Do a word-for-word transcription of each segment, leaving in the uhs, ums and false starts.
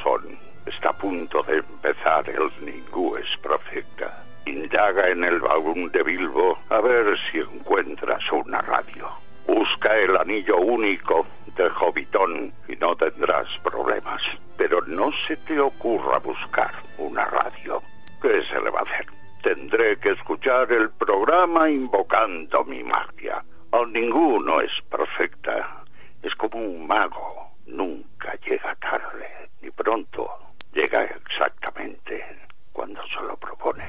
son. Está a punto de empezar el Ningú es Perfecta. Indaga en el baúl de Bilbo a ver si encuentras una radio. Busca el anillo único de Hobbiton y no tendrás problemas. Pero no se te ocurra buscar una radio. ¿Qué se le va a hacer? Tendré que escuchar el programa invocando mi magia. El ninguno es perfecta. Es como un mago. Nunca llega tarde, ni pronto. Llega exactamente cuando se lo propone.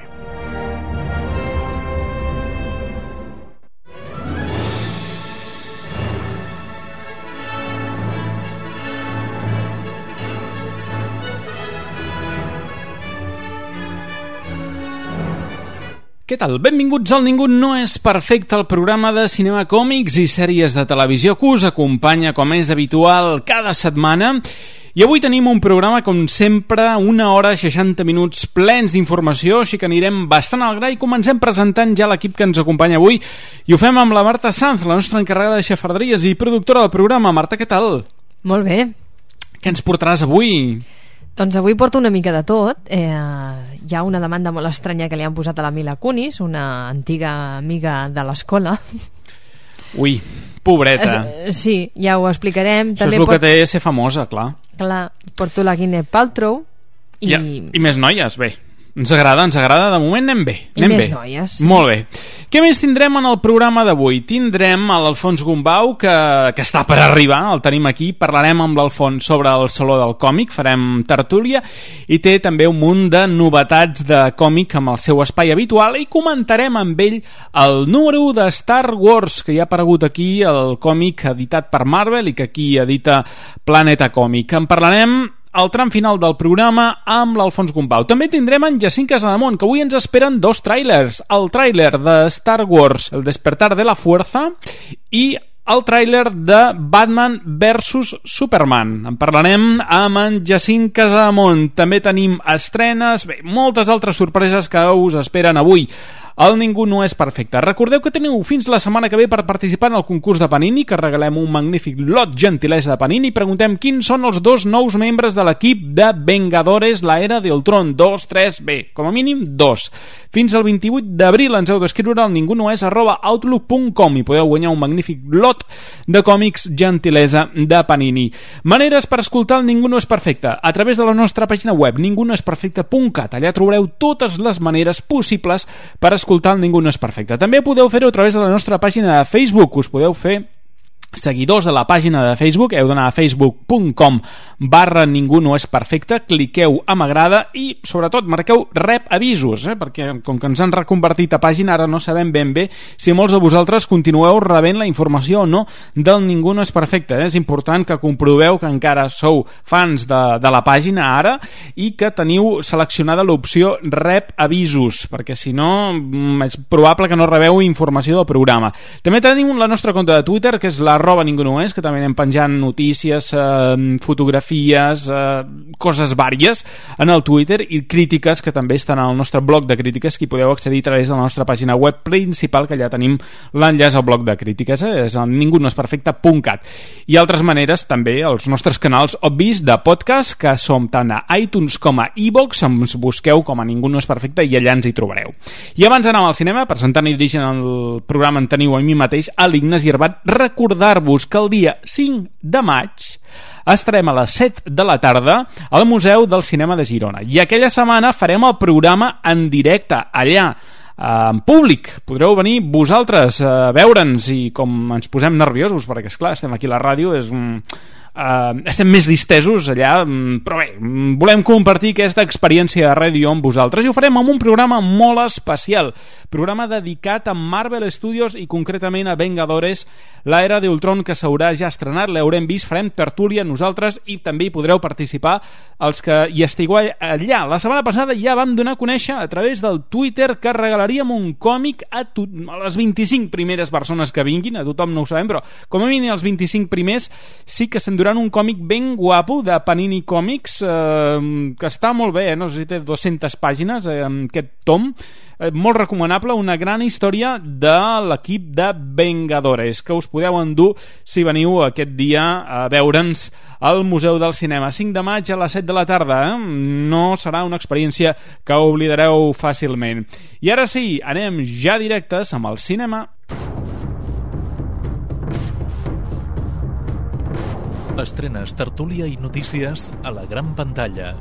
Què tal? Benvinguts al Ningú no és perfecte, el programa de cinema, còmics i sèries de televisió que us acompanya, com és habitual, cada setmana. I avui tenim un programa, com sempre, una hora, seixanta minuts plens d'informació, així que anirem bastant al gra i comencem presentant ja l'equip que ens acompanya avui. I ho fem amb la Marta Sanz, la nostra encarregada de xafarderies i productora del programa. Marta, què tal? Molt bé. Què ens portaràs avui? Doncs avui porto una mica de tot. Eh, hi ha una demanda molt estranya que li han posat a la Mila Kunis, una antiga amiga de l'escola. Ui, pobreta. Es, sí, ja ho explicarem. Això També és el port... que té ser famosa, clar. Clar, porto la Gwyneth Paltrow i... Ja, i més noies, bé. Ens agrada, ens agrada, de moment anem bé. I anem més bé. noies. Sí. Molt bé. Què més tindrem en el programa d'avui? Tindrem a l'Alfons Gombau, que, que està per arribar, el tenim aquí, parlarem amb l'Alfons sobre el Saló del Còmic, farem tertúlia, i té també un munt de novetats de còmic amb el seu espai habitual, i comentarem amb ell el número u de Star Wars, que ja ha aparegut aquí, el còmic editat per Marvel i que aquí edita Planeta Còmic. En parlarem al tram final del programa amb l'Alfons Gombau. També tindrem en Jacint Casademont, que avui ens esperen dos tràilers. El tràiler de Star Wars, El despertar de la fuerza, i el tràiler de Batman versus Superman. En parlarem amb en Jacint Casademont. També tenim estrenes, bé, moltes altres sorpreses que us esperen avui. El Ningú no és perfecte. Recordeu que teniu fins la setmana que ve per participar en el concurs de Panini, que regalem un magnífic lot gentilesa de Panini, i preguntem quins són els dos nous membres de l'equip de Vengadores, la era de Ultron. Dos, tres, bé, com a mínim dos. Fins al vint-i-vuit d'abril ens heu d'escriure al ningunoes arroba outlook punt com i podeu guanyar un magnífic lot de còmics gentilesa de Panini. Maneres per escoltar el Ningú no és perfecte a través de la nostra pàgina web ningunoesperfecte punt cat. Allà trobareu totes les maneres possibles per escoltar el Ningú no és perfecte. També podeu fer-ho a través de la nostra pàgina de Facebook. Us podeu fer seguidors de la pàgina de Facebook, heu d'anar a facebook punt com barra ningú no és perfecte, cliqueu a m'agrada i sobretot marqueu rep avisos, eh? Perquè com que ens han reconvertit a pàgina ara no sabem ben bé si molts de vosaltres continueu rebent la informació o no del Ningú no és perfecte, eh? És important que comproveu que encara sou fans de, de la pàgina ara i que teniu seleccionada l'opció rep avisos, perquè si no és probable que no rebeu informació del programa. També tenim la nostra compte de Twitter, que és la arroba ningú no és, que també anem penjant notícies, eh, fotografies, eh, coses vàries en el Twitter i crítiques que també estan al nostre blog de crítiques, que hi podeu accedir a través de la nostra pàgina web principal, que ja tenim l'enllaç al blog de crítiques, eh? És el ningú no és perfecte punt cat. I altres maneres també els nostres canals obvis de podcast, que som tant a iTunes com a iVoox, ens busqueu com a Ningú no és perfecte i allà ens hi trobareu. I abans d'anar al cinema, presentant i dirigint el programa en teniu a mi mateix, a l'Ignasi Herbat, recordar vos que el dia cinc de maig estarem a les set de la tarda al Museu del Cinema de Girona i aquella setmana farem el programa en directe allà, en públic. Podreu venir vosaltres a veure'ns i com ens posem nerviosos perquè esclar, estem aquí a la ràdio, és un... Uh, estem més distesos allà, però bé, volem compartir aquesta experiència de ràdio amb vosaltres i ho farem amb un programa molt especial, programa dedicat a Marvel Studios i concretament a Vengadores, la era de Ultron, que s'haurà ja estrenat, l'haurem vist, farem tertúlia nosaltres i també hi podreu participar els que hi estigueu allà. La setmana passada ja vam donar a conèixer a través del Twitter que regalaríem un còmic a, to- a les vint-i-cinc primeres persones que vinguin, a tothom no ho sabem, però com a mínim els vint-i-cinc primers sí que se'n durant un còmic ben guapo de Panini Comics, eh, que està molt bé, eh? No sé si té dues-centes pàgines, eh, aquest tom, eh, molt recomanable, una gran història de l'equip de Vengadores, que us podeu endur si veniu aquest dia a veure'ns al Museu del Cinema. cinc de maig a les set de la tarda, eh? No serà una experiència que oblidareu fàcilment. I ara sí, anem ja directes amb el cinema. Estrenes, tertúlia y noticias a la gran pantalla.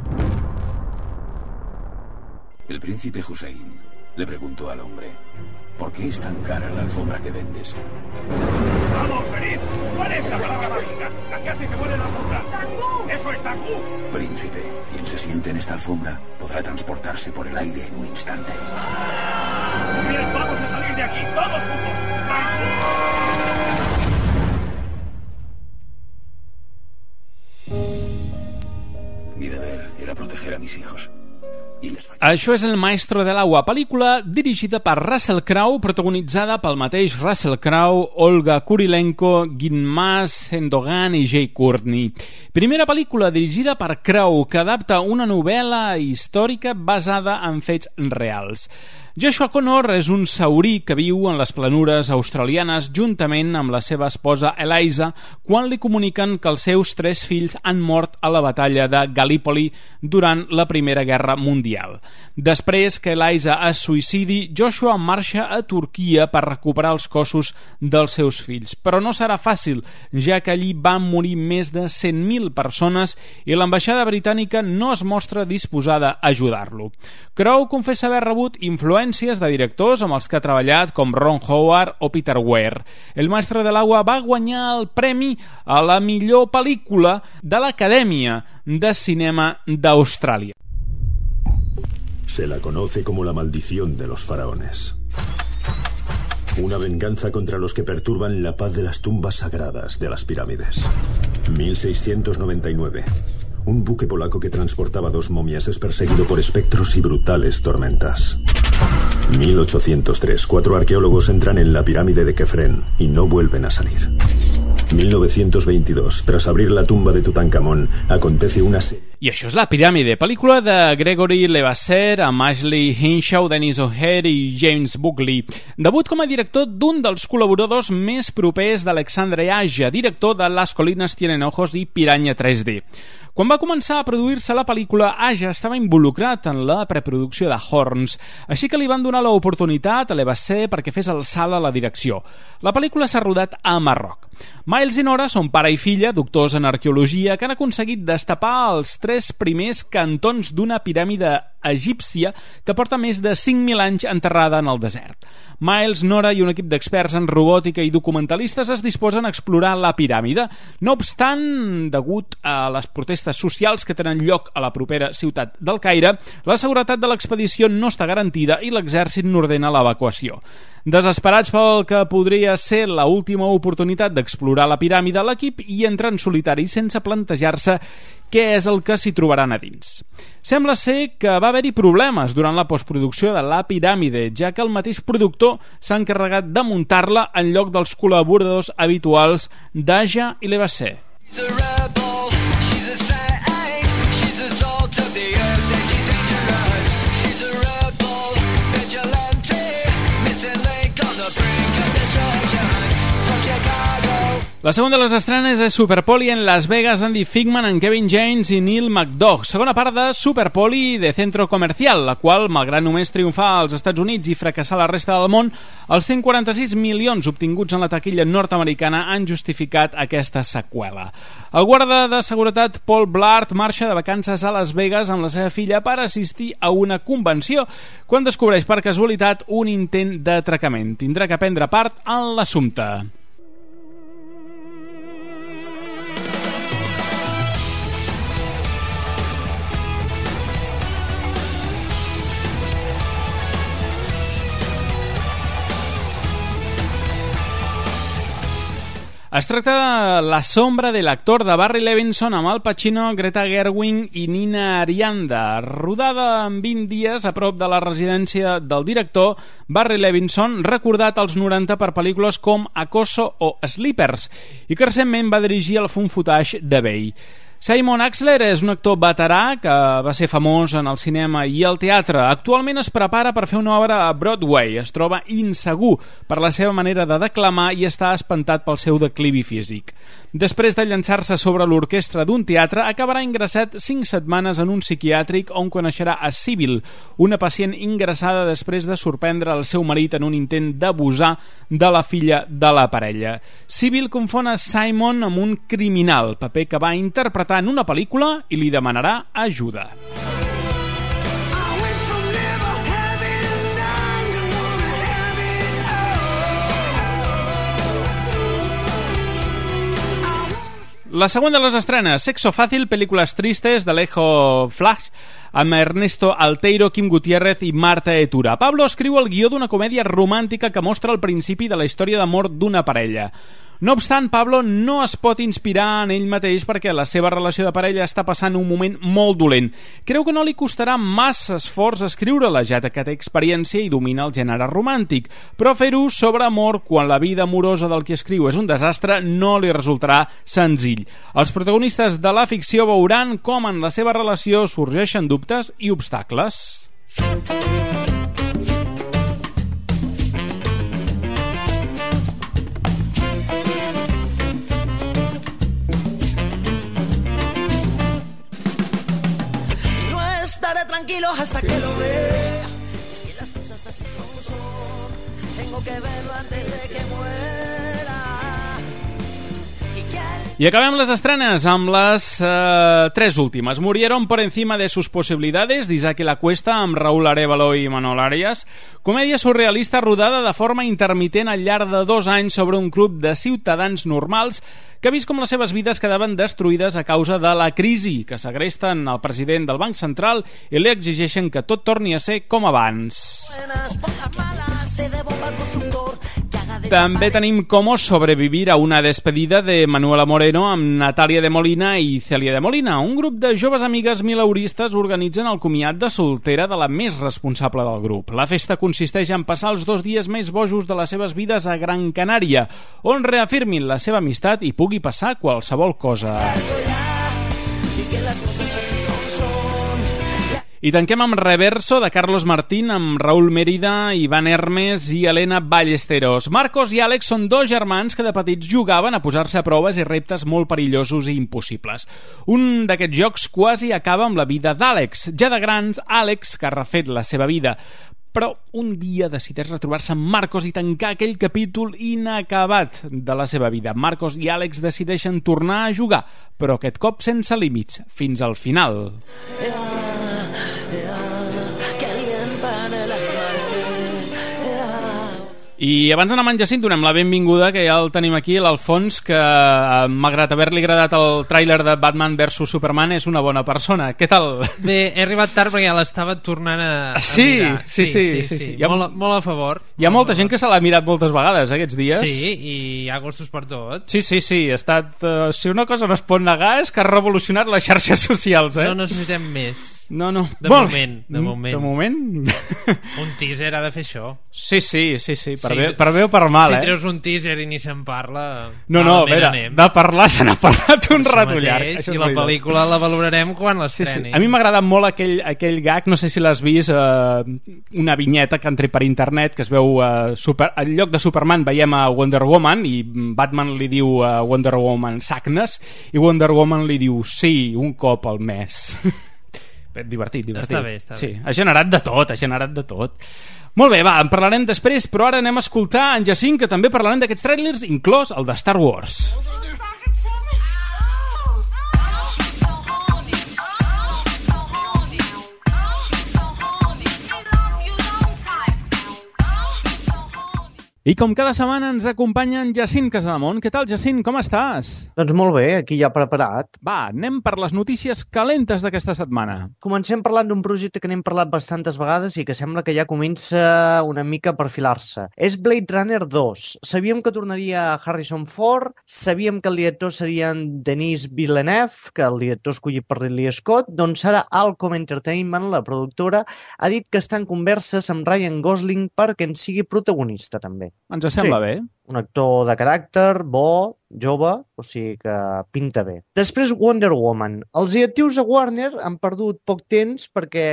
El príncipe Hussein le preguntó al hombre: ¿por qué es tan cara la alfombra que vendes? ¡Vamos, venid! ¿Cuál es la palabra mágica? La que hace que vuele la alfombra. ¡Tangú! ¡Eso es tangú! Príncipe, quien se siente en esta alfombra podrá transportarse por el aire en un instante. Muy bien, vamos a salir de aquí, todos juntos. ¡Tangú! Mi deber era proteger a mis hijos. I les fallé. Això és El Maestro de l'Agua, pel·lícula dirigida per Russell Crowe, protagonitzada pel mateix Russell Crowe, Olga Kurilenko, Ginmas Endogan i Jay Courtney. Primera pel·lícula dirigida per Crowe, que adapta una novel·la històrica basada en fets reals. Joshua Connor és un saurí que viu en les planures australianes juntament amb la seva esposa Eliza quan li comuniquen que els seus tres fills han mort a la batalla de Gallipoli durant la Primera Guerra Mundial. Després que Eliza es suïcidi, Joshua marxa a Turquia per recuperar els cossos dels seus fills. Però no serà fàcil, ja que allí van morir més de cent mil persones i l'ambaixada britànica no es mostra disposada a ajudar-lo. Crowe confessa haver rebut influències de directors amb els que ha treballat com Ron Howard o Peter Weir. El Maestro de l'Agua va guanyar el premi a la millor pel·lícula de l'Acadèmia de Cinema d'Austràlia. Se la conoce como la maldición de los faraones. Una venganza contra los que perturban la paz de las tumbas sagradas de las pirámides. mil seiscientos noventa y nueve. Un buque polaco que transportaba dos momias es perseguido por espectros y brutales tormentas. mil ochocientos tres. Cuatro arqueólogos entran en la pirámide de Kefren y no vuelven a salir. mil novecientos veintidós. Tras abrir la tumba de Tutankamón, acontece una serie... I això és La Piràmide, pel·lícula de Gregory Levasseur amb Ashley Hinshaw, Dennis O'Hare i James Buckley. Debut com a director d'un dels col·laboradors més propers d'Alexandre Aja, director de Las colinas tienen ojos i Piranha tres D. Quan va començar a produir-se la pel·lícula, Aja estava involucrat en la preproducció de Horns, així que li van donar l'oportunitat a Levasseur perquè fes el salt a la direcció. La pel·lícula s'ha rodat a Marroc. Miles i Nora són pare i filla, doctors en arqueologia, que han aconseguit destapar els tres primers cantons d'una piràmide egípcia que porta més de cinc mil anys enterrada en el desert. Miles, Nora i un equip d'experts en robòtica i documentalistes es disposen a explorar la piràmide. No obstant, degut a les protestes socials que tenen lloc a la propera ciutat del Caire, la seguretat de l'expedició no està garantida i l'exèrcit n'ordena l'evacuació. Desesperats pel que podria ser la última oportunitat d'explorar la piràmide, l'equip hi entra en solitari sense plantejar-se què és el que s'hi trobaran a dins. Sembla ser que va haver-hi problemes durant la postproducció de La Piràmide, ja que el mateix productor s'ha encarregat de muntar-la en lloc dels col·laboradors habituals d'Aja i Levasseur. La segona de les estrenes és Super Polly en Las Vegas, Andy Figman, en Kevin James i Neil McDough. Segona part de Super Polly de Centro Comercial, la qual, malgrat només triomfar als Estats Units i fracassar a la resta del món, els cent quaranta-sis milions obtinguts en la taquilla nord-americana han justificat aquesta seqüela. El guarda de seguretat Paul Blart marxa de vacances a Las Vegas amb la seva filla per assistir a una convenció, quan descobreix per casualitat un intent d'atracament. Tindrà que prendre part en l'assumpte. Es tracta de La sombra de l'actor de Barry Levinson amb Al Pacino, Greta Gerwig i Nina Arianda. Rodada en vint dies a prop de la residència del director Barry Levinson, recordat als noranta per pel·lícules com Acoso o Sleepers, i que recentment va dirigir el Fun Footage de Bay. Simon Axler és un actor veterà que va ser famós en el cinema i el teatre. Actualment es prepara per fer una obra a Broadway. Es troba insegur per la seva manera de declamar i està espantat pel seu declivi físic. Després de llançar-se sobre l'orquestra d'un teatre, acabarà ingressat cinc setmanes en un psiquiàtric on coneixerà a Sybil, una pacient ingressada després de sorprendre el seu marit en un intent d'abusar de la filla de la parella. Sybil confon a Simon amb un criminal, paper que va interpretar en una pel·lícula, i li demanarà ajuda. La següent de les estrenes, Sexo Fácil, pel·lícules tristes de Alejo Flash, amb Ernesto Alteiro, Kim Gutiérrez i Marta Etura. Pablo escriu el guió d'una comèdia romàntica que mostra el principi de la història d'amor d'una parella. No obstant, Pablo no es pot inspirar en ell mateix perquè la seva relació de parella està passant un moment molt dolent. Creu que no li costarà massa esforç escriure-la, ja que té experiència i domina el gènere romàntic, però fer-ho sobre amor quan la vida amorosa del que escriu és un desastre no li resultarà senzill. Els protagonistes de la ficció veuran com en la seva relació sorgeixen dubtes i obstacles. Tranquilo hasta que lo vea. Es que las cosas así son, son. Tengo que verlo antes de que muera. I acabem les estrenes amb les eh, tres últimes. Murieron por encima de sus posibilidades, d'Isaac La Cuesta, amb Raúl Arévalo i Manol Arias. Comèdia surrealista rodada de forma intermitent al llarg de dos anys sobre un grup de ciutadans normals que ha vist com les seves vides quedaven destruïdes a causa de la crisi, que segresten el president del Banc Central i li exigeixen que tot torni a ser com abans. També tenim Cómo sobrevivir a una despedida de Manuela Moreno amb Natàlia de Molina i Cèlia de Molina. Un grup de joves amigues mileuristes organitzen el comiat de soltera de la més responsable del grup. La festa consisteix en passar els dos dies més bojos de les seves vides a Gran Canària, on reafirmin la seva amistat i pugui passar qualsevol cosa. I tanquem amb Reverso, de Carlos Martín, amb Raúl Mérida, Iván Hermes i Elena Ballesteros. Marcos i Àlex són dos germans que de petits jugaven a posar-se a proves i reptes molt perillosos i impossibles. Un d'aquests jocs quasi acaba amb la vida d'Àlex. Ja de grans, Àlex, que ha refet la seva vida, però un dia decideix retrobar-se amb Marcos i tancar aquell capítol inacabat de la seva vida. Marcos i Àlex decideixen tornar a jugar, però aquest cop sense límits, fins al final. I abans d'anar amb en Jacint donem la benvinguda, que ja el tenim aquí, l'Alfons, que malgrat haver-li agradat el tràiler de Batman versus Superman és una bona persona. Què tal? Bé, he arribat tard perquè ja l'estava tornant a, a sí, mirar. Sí, sí, sí, sí, sí. sí. Ha, molt, molt a favor. Hi ha molta gent que se l'ha mirat moltes vegades aquests dies. Sí, i hi ha gustos per tot. Sí, sí, sí, ha estat... Uh, si una cosa no es pot negar és que ha revolucionat les xarxes socials, eh? No necessitem més. No, no. De bon, moment, de moment. De moment? Un teaser ha de fer això. Sí, sí, sí, sí. Per, sí, bé, per bé o per mal, si eh? Si treus un teaser i ni se'n parla... No, no, a veure, de parlar se n'ha parlat un rato llarg. I la pel·lícula la valorarem quan l'estreni. Sí, sí. A mi m'ha agradat molt aquell, aquell gag, no sé si l'has vist, eh, una vinyeta que entré per internet, que es veu... Eh, super, en lloc de Superman veiem a Wonder Woman, i Batman li diu a Wonder Woman Sagnes, i Wonder Woman li diu sí, un cop al mes. Divertit, divertit. Està bé, està bé. Sí, ha generat de tot, ha generat de tot. Molt bé, va, en parlarem després, però ara anem a escoltar en Jacint, que també parlarem d'aquests trailers, inclòs el de Star Wars. I com cada setmana ens acompanya en Jacint Casademont. Què tal, Jacint? Com estàs? Doncs molt bé, aquí ja preparat. Va, anem per les notícies calentes d'aquesta setmana. Comencem parlant d'un projecte que n'hem parlat bastantes vegades i que sembla que ja comença una mica a perfilar-se. És Blade Runner dos. Sabíem que tornaria Harrison Ford, sabíem que el director seria en Denis Villeneuve, que el director escollit per Ridley Scott, doncs ara Alcom Entertainment, la productora, ha dit que està en converses amb Ryan Gosling perquè en sigui protagonista també. Ens sembla sí. bé. Un actor de caràcter, bo, jove, o sigui que pinta bé. Després Wonder Woman. Els directius a Warner han perdut poc temps perquè,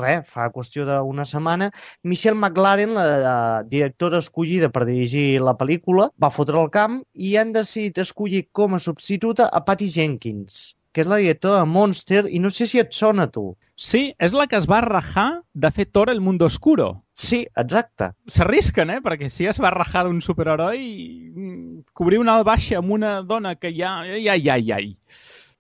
res, fa qüestió d'una setmana, Michelle McLaren, la, la directora escollida per dirigir la pel·lícula, va fotre el camp i han decidit escollir com a substituta a Patty Jenkins, que és la directora de Monster, i no sé si et sona a tu. Sí, és la que es va rajar de fer Thor el Mundo Oscuro. Sí, exacte. S'arrisquen, eh? Perquè si es va rajar d'un superheroi, cobrir una baixa amb una dona que ja... Ai, ai, ai, ai.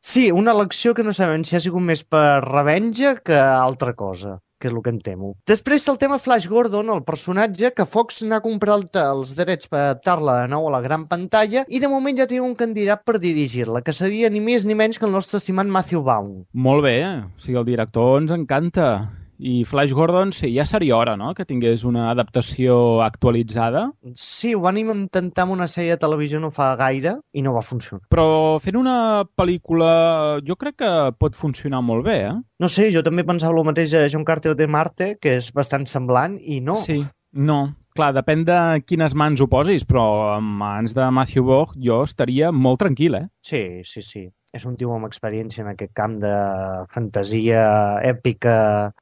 Sí, una elecció que no sabem si ha sigut més per revenja que altra cosa, que és el que em temo. Després el tema Flash Gordon, el personatge, que Fox n'ha comprat els drets per adaptar-la de nou a la gran pantalla i de moment ja tenim un candidat per dirigir-la, que seria ni més ni menys que el nostre estimat Matthew Vaughn. Molt bé, o sigui, el director ens encanta. I Flash Gordon, sí, ja seria hora, no?, que tingués una adaptació actualitzada. Sí, ho van intentar amb una sèrie de televisió no fa gaire i no va funcionar. Però fent una pel·lícula jo crec que pot funcionar molt bé, eh? No sé, jo també pensava el mateix a John Carter de Marte, que és bastant semblant, i no. Sí, no. Clar, depèn de quines mans ho posis, però en mans de Matthew Vaughn jo estaria molt tranquil, eh? Sí, sí, sí. És un tio amb experiència en aquest camp de fantasia èpica.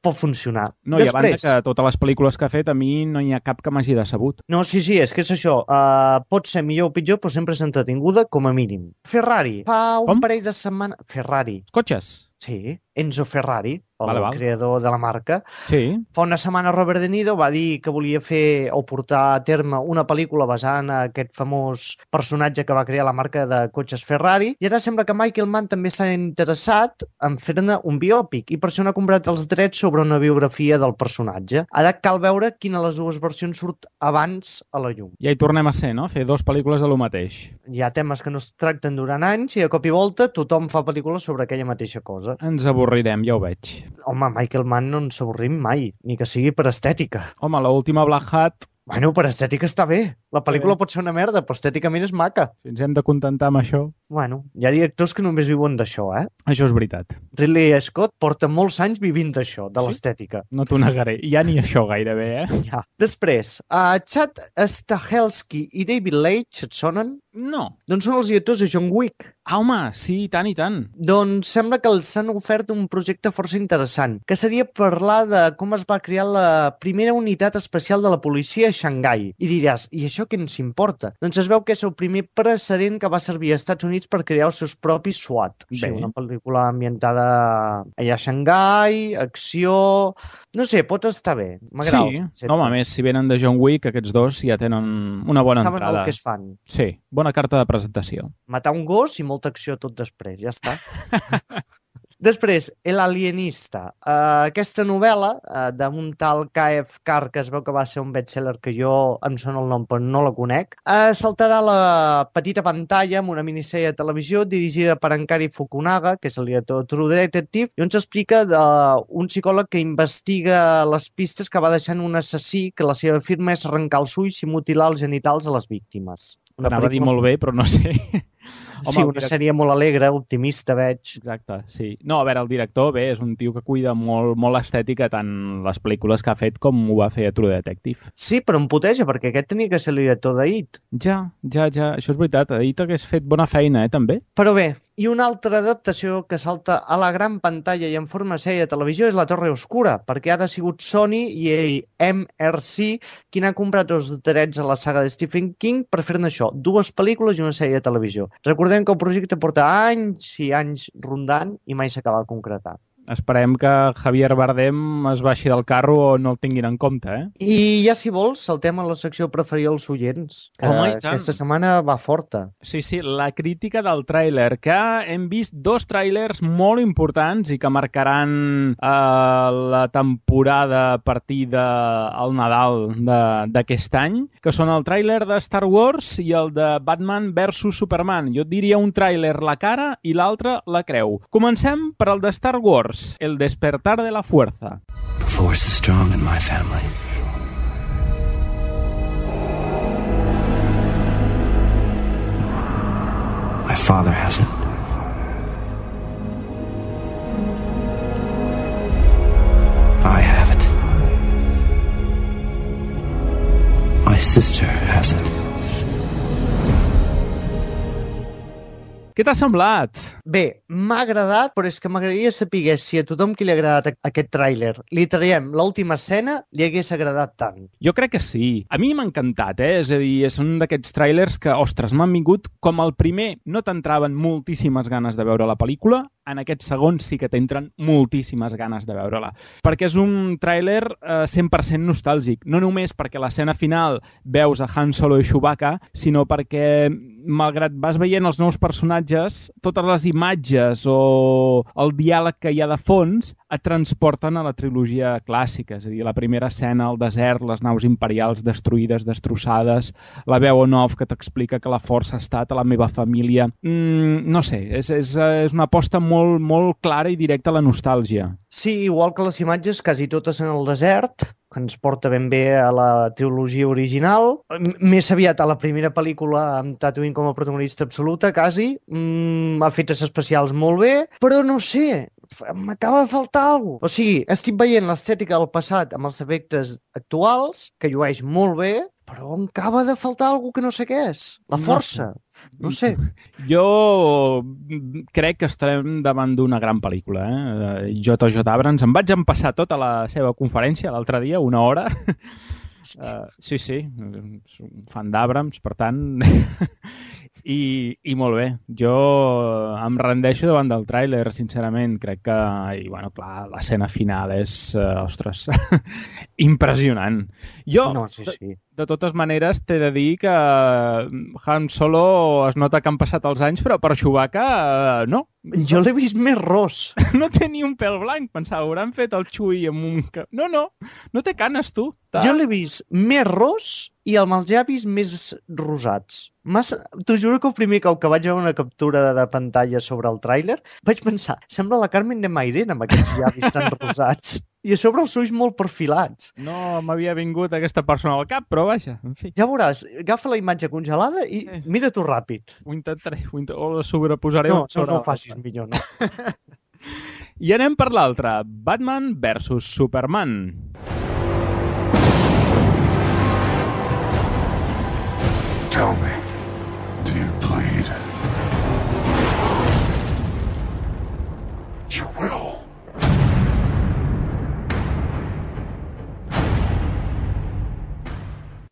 Pot funcionar. No, Després... i a banda que totes les pel·lícules que ha fet, a mi no hi ha cap que m'hagi decebut. No, sí, sí, és que és això. Uh, pot ser millor o pitjor, però sempre és entretinguda, com a mínim. Ferrari. Fa un Com? parell de setmanes... Ferrari. Cotxes? Sí, Enzo Ferrari, el vale, vale. creador de la marca. Sí. Fa una setmana Robert De Niro va dir que volia fer o portar a terme una pel·lícula basada en aquest famós personatge que va crear la marca de cotxes Ferrari, i ara sembla que Michael Mann també s'ha interessat en fer-ne un biòpic, i per això n'ha comprat els drets sobre una biografia del personatge. Ara cal veure quina de les dues versions surt abans a la llum. Ja hi tornem a ser, no?, fer dues pel·lícules de lo mateix. Hi ha temes que no es tracten durant anys i de cop i volta tothom fa pel·lícules sobre aquella mateixa cosa. Ens avorrirem, ja ho veig. Home, Michael Mann no ens avorrim mai, ni que sigui per estètica. Home, l'última Black Hat... Bueno, per estètica està bé. La pel·lícula pot ser una merda, però estèticament és maca. Si ens hem de contentar amb això... Bueno, hi ha directors que només viuen d'això, eh? Això és veritat. Ridley Scott porta molts anys vivint d'això, de sí? l'estètica. No t'ho negaré. Ja ni això gairebé, eh? Ja. Després, uh, Chad Stahelski i David Leitch, et sonen? No. Doncs són els directors de John Wick. Ah, home, sí, i tant i tant. Doncs sembla que els han ofert un projecte força interessant, que seria parlar de com es va crear la primera unitat especial de la policia a Xangai. I diràs, i això què ens importa? Doncs es veu que és el primer precedent que va servir als Estats Units per crear els seus propis SWAT. O sigui, una pel·lícula ambientada allà a Xangai, acció... No sé, pot estar bé. M'agrada. Sí, no, home, a més, si venen de John Wick, aquests dos ja tenen una bona Saben entrada. Saben el que es fan. Sí, bona carta de presentació. Matar un gos i molta acció tot després, ja està. Després, El alienista. Uh, aquesta novel·la uh, d'un tal K F Carr, que es veu que va ser un bestseller que jo em sona el nom però no la conec, uh, saltarà a la petita pantalla amb una minissèrie de televisió dirigida per Ankari Fukunaga, que és el director de True Detective, i on s'explica d'un psicòleg que investiga les pistes que va deixant un assassí que la seva firma és arrencar els ulls i mutilar els genitals a les víctimes. Una Anava pel·lícula... a dir molt bé, però no sé... Home, sí, una direct... sèrie molt alegre, optimista, veig. Exacte, sí. No, a veure, el director, bé, és un tio que cuida molt, molt l'estètica, tant les pel·lícules que ha fet com ho va fer a True Detective. Sí, però em puteja, perquè aquest tenia que ser el director d'It. Ja, ja, ja, això és veritat. It hagués fet bona feina, eh, també. Però bé, i una altra adaptació que salta a la gran pantalla i en forma de sèrie de televisió és La Torre Oscura, perquè ara ha sigut Sony i M R C qui n'ha comprat els drets a la saga de Stephen King per fer-ne això, dues pel·lícules i una sèrie de televisió. Recordem que el projecte porta anys i anys rondant i mai s'acaba de concretar. esperem que Javier Bardem es baixi del carro o no el tinguin en compte, eh? I ja, si vols, saltem a la secció preferida dels oients, que Home, i tant. aquesta setmana va forta. Sí, sí, la crítica del tràiler, que hem vist dos tràilers molt importants i que marcaran eh, la temporada a partir del Nadal d'aquest any, que són el tràiler de Star Wars i el de Batman versus Superman. Jo et diria un tràiler la cara i l'altre la creu. Comencem per el de Star Wars, El despertar de la fuerza. The force is strong in my family. My father has it. I have it. My sister has it. Què t'ha semblat? Bé, m'ha agradat, però és que m'agradaria saber si a tothom qui li ha agradat aquest tràiler li traiem l'última escena, li hagués agradat tant. Jo crec que sí. A mi m'ha encantat, eh? És a dir, és un d'aquests tràilers que, ostres, m'han vingut com el primer no t'entraven moltíssimes ganes de veure la pel·lícula, en aquest segon sí que t'entren moltíssimes ganes de veure-la. Perquè és un tràiler eh, cent per cent nostàlgic. No només perquè a l'escena final veus a Han Solo i Chewbacca, sinó perquè, malgrat vas veient els nous personatges, totes les imatges o el diàleg que hi ha de fons et transporten a la trilogia clàssica. És a dir, la primera escena al desert, les naus imperials destruïdes, destrossades, la veu en off que t'explica que la força ha estat a la meva família. Mm, no sé, és, és, és una aposta molt molt, molt clara i directa a la nostàlgia. Sí, igual que les imatges, quasi totes en el desert, que ens porta ben bé a la trilogia original. Més aviat a la primera pel·lícula amb Tatooine com a protagonista absoluta, quasi. Mm, efectes especials molt bé, però no sé, m'acaba de faltar alguna cosa. O sigui, estic veient l'estètica del passat amb els efectes actuals, que llueix molt bé, però em acaba de faltar alguna cosa que no sé què és. La força. No sé. Jo crec que estarem davant d'una gran pel·lícula. Eh? J J Abrams. Em vaig empassar tota la seva conferència l'altre dia, una hora. Uh, sí, sí, soc un fan d'Abrams, per tant... I, I molt bé. Jo em rendeixo davant del tràiler, sincerament. Crec que, i bueno, clar, l'escena final és, uh, ostres, impressionant. Jo, no, sí, sí. De, de totes maneres, t'he de dir que Han Solo es nota que han passat els anys, però per Chewbacca, uh, no. Jo l'he vist més ros. No té ni un pèl blanc, pensava, hauran fet el Chewie amb un... No, no, no té canes, tu. Ta... Jo l'he vist més ros i amb els llavis més rosats. Massa... T'ho juro que el primer cop que vaig veure una captura de, de pantalla sobre el tràiler vaig pensar, sembla la Carmen de Mairena amb aquests llavis tan rosats. I a sobre els ulls molt perfilats. No m'havia vingut aquesta persona al cap, però vaja, en fi. Ja veuràs, agafa la imatge congelada i sí. Mira-t'ho ràpid. Ho intentaré, ho int... o la sobreposaré. No, no, no ho facis millor, no. I anem per l'altre, Batman versus Superman. Tell me, do you bleed? You will.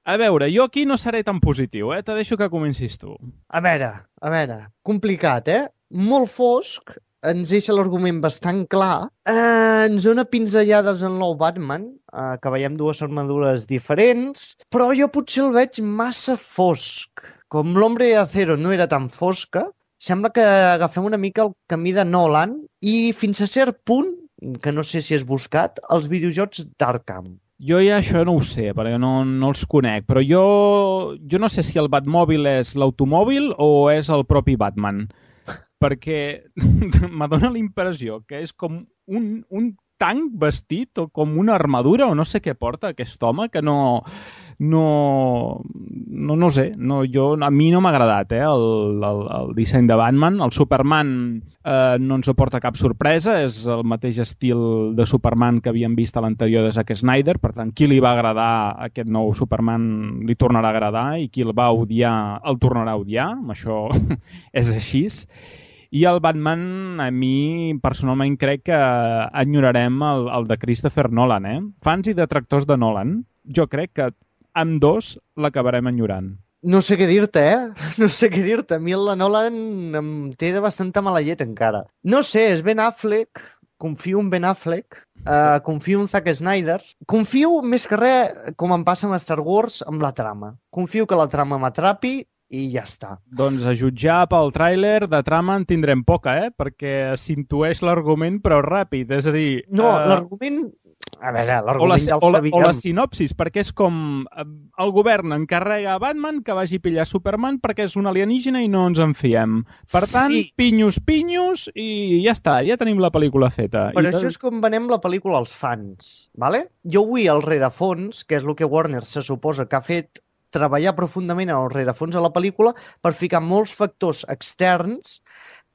A veure, jo aquí no seré tan positiu, eh? Te deixo que comencis tu. A veure, a veure, complicat, eh? Molt fosc, ens deixa l'argument bastant clar, eh, ens dona pinzellades en nou Batman, eh, que veiem dues armadures diferents, però jo potser el veig massa fosc. Com l'Hombre de Acero no era tan fosca, sembla que agafem una mica el camí de Nolan i fins a cert punt, que no sé si has buscat, els videojocs d'Arkham. Jo ja això no ho sé, perquè no, no els conec, però jo, jo no sé si el Batmòbil és l'automòbil o és el propi Batman, perquè m'adona la impressió que és com un, un tanc vestit o com una armadura o no sé què porta aquest home, que no... No, no, no sé, no, jo, a mi no m'ha agradat eh, el, el, el disseny de Batman. El Superman eh, no ens aporta cap sorpresa, és el mateix estil de Superman que havíem vist a l'anterior de Zack Snyder, per tant, qui li va agradar aquest nou Superman li tornarà a agradar i qui el va odiar el tornarà a odiar, això és així. I el Batman, a mi, personalment, crec que enyorarem el, el de Christopher Nolan, eh? Fans i detractors de Nolan, jo crec que amb dos l'acabarem enyorant. No sé què dir-te, eh? No sé què dir-te. A mi la Nolan em té de bastanta mala llet encara. No sé, és Ben Affleck, confio en Ben Affleck, uh, confio en Zack Snyder, confio més que res, com em passa amb Star Wars, amb la trama. Confio que la trama m'atrapi i ja està. Doncs a jutjar pel tràiler de trama en tindrem poca, eh? Perquè s'intueix l'argument però ràpid, és a dir... No, uh... l'argument... A veure, o la, l'argument ja el o, la, sabíem. o la sinopsis, perquè és com el govern encarrega a Batman que vagi a pillar Superman perquè és un alienígena i no ens en fiem. Per tant, Sí. pinyos, pinyos i ja està, ja tenim la pel·lícula feta. Però I això és com venem la pel·lícula als fans, ¿vale? Jo vull el rerefons, que és el que Warner se suposa que ha fet, treballar profundament en el rerefons de la pel·lícula per ficar molts factors externs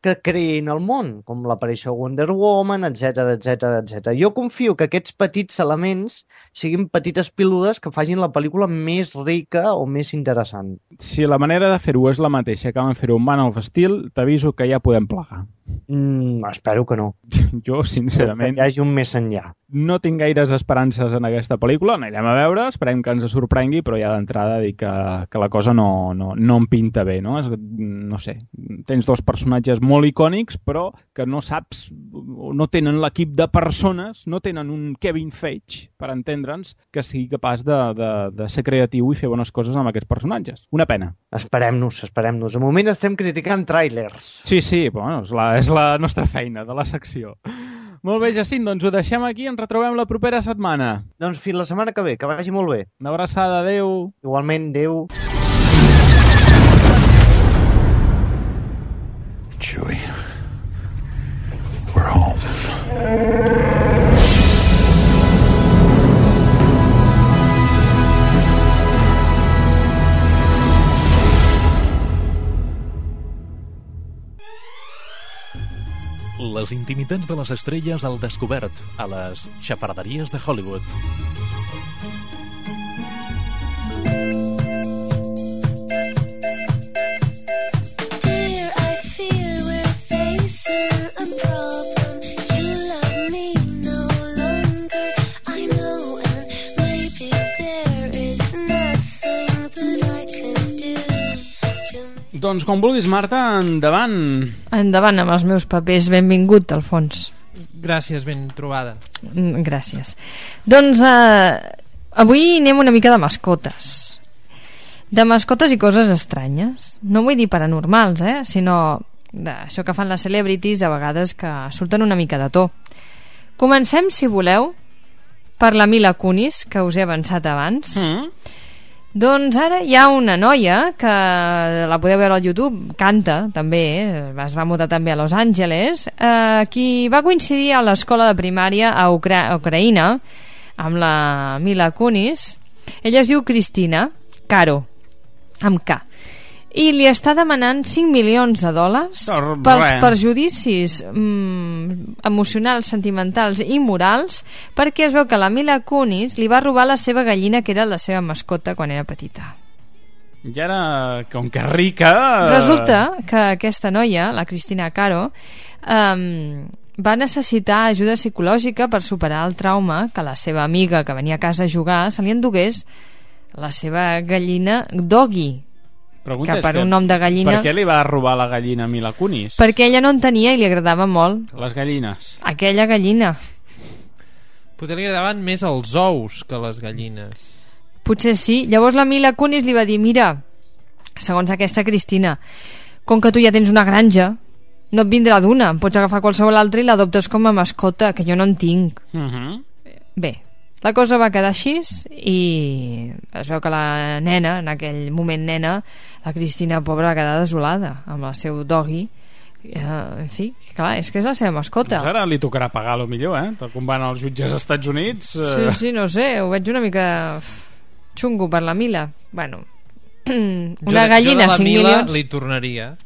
que creïn el món, com l'aparició de Wonder Woman, etcètera, etcètera, etcètera. Jo confio que aquests petits elements siguin petites pílules que facin la pel·lícula més rica o més interessant. si la manera de fer-ho és la mateixa que van fer-ho en Man of Steel, t'aviso que ja podem plegar. Mm, espero que no. Jo, sincerament... Que hi hagi un més enllà. No tinc gaires esperances en aquesta pel·lícula, n'anirem a veure, esperem que ens sorprengui, però ja d'entrada dic que, que la cosa no, no, no em pinta bé, no? No sé, tens dos personatges molt icònics, però que no saps, no tenen l'equip de persones, no tenen un Kevin Feige, per entendre'ns, que sigui capaç de, de, de ser creatiu i fer bones coses amb aquests personatges. Una pena. Esperem-nos, esperem-nos. De moment estem criticant tràilers. Sí, sí, però bueno, és, la, és la nostra feina de la secció. Molt bé, Jacint, doncs ho deixem aquí, ens retrobem la propera setmana. Doncs fins la setmana que ve, que vagi molt bé. Una abraçada, adeu. Igualment, adeu. Chewie, we're home. Les intimitats de les estrelles al descobert a les xafarderies de Hollywood. Dear, I fear we're facing a problem. You love me no longer, I know, and maybe there is nothing that I can do to... Doncs com vulguis, Marta, endavant. Endavant amb els meus papers. Benvingut, Alfons. Gràcies, ben trobada. Mm, Gràcies. Doncs eh, avui anem una mica de mascotes. De mascotes i coses estranyes. No vull dir paranormals, eh? Sinó d'això que fan les celebrities a vegades que surten una mica de to. Comencem, si voleu, per la Mila Kunis, que us he avançat abans. Mm. Doncs ara hi ha una noia que la podeu veure al YouTube, canta també, eh? Es va mudar també a Los Angeles, eh, qui va coincidir a l'escola de primària a Ucra Ucraïna amb la Mila Kunis. Ella es diu Cristina Caro, amb K, i li està demanant cinc milions de dòlars Oh, pels res. perjudicis mm, emocionals, sentimentals i morals, perquè es veu que la Mila Kunis li va robar la seva gallina, que era la seva mascota quan era petita. I ara, com que rica... Resulta que aquesta noia, la Cristina Caro, um, va necessitar ajuda psicològica per superar el trauma que la seva amiga que venia a casa a jugar se li endugués la seva gallina Doggy. Pregunta que és per que, un nom de gallina... Per què li va robar la gallina a Mila Kunis? Perquè ella no en tenia i li agradava molt. Les gallines. Aquella gallina. Potser li agradaven més els ous que les gallines. Potser sí. Llavors la Mila Kunis li va dir: mira, segons aquesta Cristina, com que tu ja tens una granja, no et vindrà d'una, em pots agafar qualsevol altra i l'adoptes com a mascota, que jo no en tinc. Uh -huh. Bé, la cosa va quedar així i es veu que la nena, en aquell moment nena, la Cristina pobra, va quedar desolada amb el seu doggy. Uh, en fi, clar, és que és la seva mascota. Doncs ara li tocarà pagar, a lo millor, eh? Tal com van els jutges als Estats Units... Eh... Sí, sí, no sé, ho veig una mica xungo per la Mila. Bueno, una jo, gallina, jo de la cinc Mila milions... li tornaria.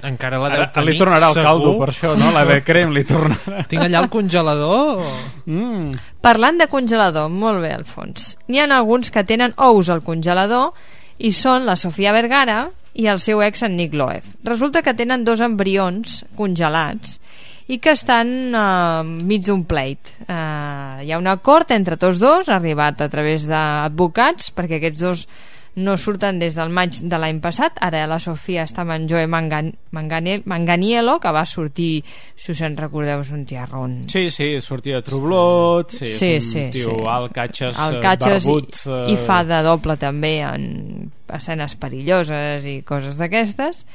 Encara la Ara, deu tenir, li tornarà el segur. caldo, per això, no? La de crem li tornarà. Tinc allà el congelador. O... Mm. Parlant de congelador, molt bé, Alfons. N'hi ha alguns que tenen ous al congelador i són la Sofia Vergara i el seu ex, en Nick Loeb. Resulta que tenen dos embrions congelats i que estan uh, mig d'un pleit. Uh, hi ha un acord entre tots dos, arribat a través d'advocats, perquè aquests dos no surten des del maig de l'any passat. Ara la Sofia està amb en Joe Mangan Mangane Manganiello, que va sortir, si us en recordeu, és un tiarrón. Sí, sí, sortia de True Blood, sí, sí, és un sí, tio sí. alt, catxes, Alt, catxes barbut... i, eh... i fa de doble també en escenes perilloses i coses d'aquestes.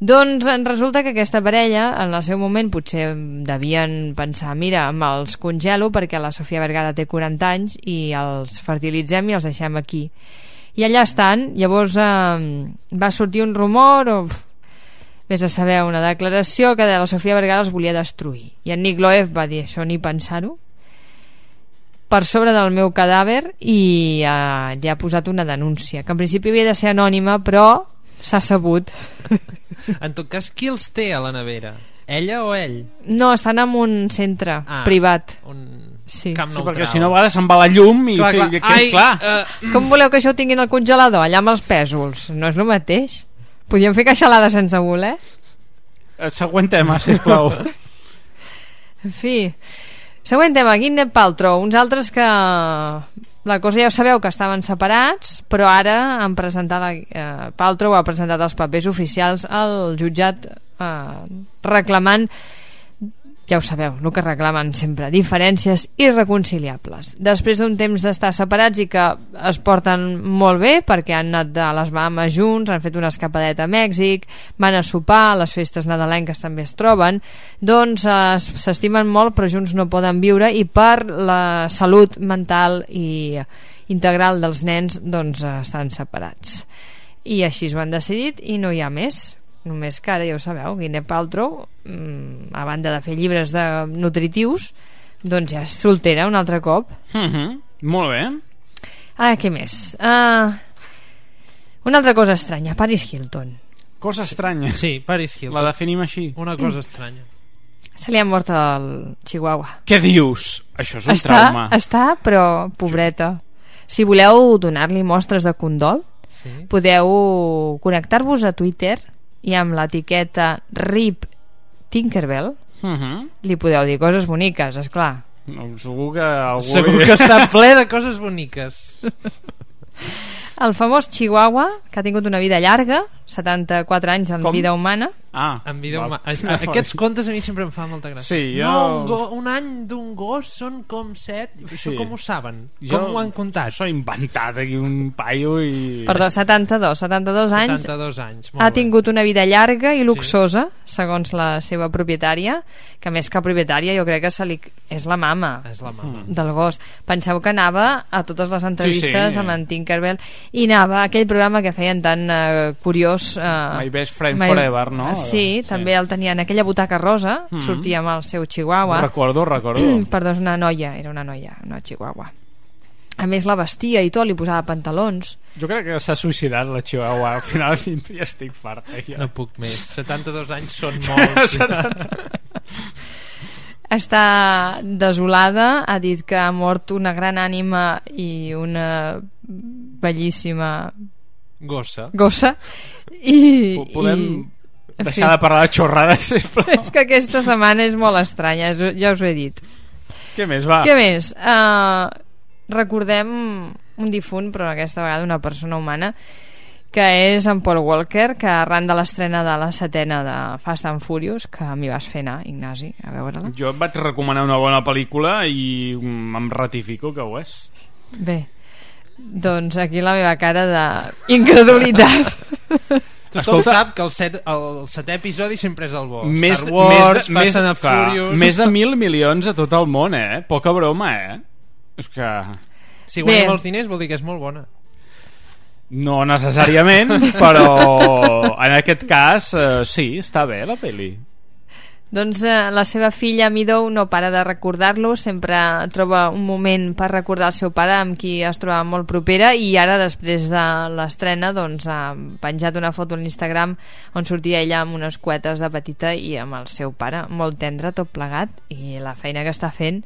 Doncs resulta que aquesta parella en el seu moment potser devien pensar, mira, me'ls congelo perquè la Sofia Vergara té quaranta anys i els fertilitzem i els deixem aquí. I allà estan. Llavors eh, va sortir un rumor o vés a saber, una declaració que de la Sofia Vergara els volia destruir, i en Nick Loeb va dir, això ni pensar-ho, per sobre del meu cadàver, i eh, ja ha posat una denúncia que en principi havia de ser anònima, però s'ha sabut. En tot cas, qui els té a la nevera? Ella o ell? No, estan en un centre ah, privat. Un sí. camp sí, neutral. perquè si no a vegades se'n va la llum i clar, clar, clar. clar. Ai, clar. Uh, com voleu que això ho tinguin al congelador allà amb els pèsols? No és el mateix. Podíem fer queixalada sense voler. El següent tema, sisplau. En fi, següent tema, Gwyneth Paltrow, uns altres que la cosa ja ho sabeu, que estaven separats, però ara han presentat la, eh, Paltrow ha presentat els papers oficials al jutjat eh, reclamant, ja ho sabeu, el que reclamen sempre, diferències irreconciliables. Després d'un temps d'estar separats i que es porten molt bé perquè han anat a les Bahamas junts, han fet una escapadeta a Mèxic, van a sopar, a les festes nadalenques també es troben, doncs eh, s'estimen molt però junts no poden viure, i per la salut mental i integral dels nens doncs eh, estan separats. I així ho han decidit i no hi ha més. Només que ara ja ho sabeu, Gwyneth Paltrow, mmm, a banda de fer llibres de nutritius, doncs ja és soltera un altre cop. Mm-hmm. Molt bé. Ah, què més? Uh, una altra cosa estranya, Paris Hilton. Cosa estranya. Sí, Paris Hilton. La definim així. Una cosa estranya. Se li ha mort el Chihuahua. Què dius? Això és un està, trauma. Està, però pobreta. Si voleu donar-li mostres de condol, sí. podeu connectar-vos a Twitter i amb l'etiqueta R I P Tinkerbell uh-huh. li podeu dir coses boniques, esclar. No, segur que algú... Segur que està ple de coses boniques. El famós Chihuahua, que ha tingut una vida llarga, setanta-quatre anys en Com? vida humana. Ah, en vida humana. Aquests contes a mi sempre em fan molta gràcia. Sí, jo... No, un, go, un any d'un gos són com set. Sí. Això com ho saben? Jo... Com ho han contat? Això he inventat aquí un paio i... Perdó, setanta-dos, setanta-dos anys. setanta-dos anys, molt ha bé. tingut una vida llarga i luxosa, sí. segons la seva propietària, que més que propietària jo crec que se li... és la mama, és la mama. del gos. Penseu que anava a totes les entrevistes sí, sí. amb en Tinkerbell i anava a aquell programa que feien tan uh, curiós uh, My Best Friend My... Forever, no? Sí, sí, també el tenia en aquella butaca rosa, mm-hmm. sortia amb el seu Chihuahua. Ho recordo, ho recordo. Perdó, és una noia, era una noia, una Chihuahua. A més la vestia i tot, li posava pantalons. Jo crec que s'ha suïcidat la Chihuahua. Al final ja estic fart. Ja. No puc més. setanta-dos anys són molts. Està desolada, ha dit que ha mort una gran ànima i una bellíssima gossa. Gossa. I, podem i... deixar de parlar de xorrades, sisplau. És que aquesta setmana és molt estranya, ja us ho he dit. Què més, va? Què més? Uh, recordem un difunt, però aquesta vegada una persona humana, que és en Paul Walker, que arran de l'estrena de la setena de Fast and Furious, que m'hi vas fer anar, Ignasi, a veure-la. Jo et vaig recomanar una bona pel·lícula i em ratifico que ho és. Bé, doncs aquí la meva cara d'incredulitat. Tothom Escolta, sap que el, set, el setè episodi sempre és el bo. Més, Star Wars, més, Fast and Furious... Més de mil milions a tot el món, eh? Poca broma, eh? És que... Si guanya molts diners vol dir que és molt bona. No necessàriament, però en aquest cas eh, sí, està bé la pel·li. Doncs eh, la seva filla Meadow no para de recordar-lo, sempre troba un moment per recordar el seu pare amb qui es troba molt propera, i ara després de l'estrena doncs, ha penjat una foto a l'Instagram on sortia ella amb unes cuetes de petita i amb el seu pare, molt tendre tot plegat, i la feina que està fent.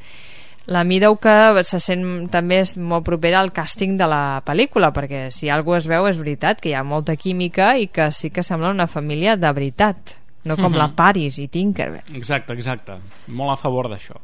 La Meadow, que se sent també és molt propera al càsting de la pel·lícula, perquè si alguna es veu és veritat que hi ha molta química i que sí que sembla una família de veritat, no com mm-hmm. la Paris i Tinkerbell. Exacte, exacte. Molt a favor d'això.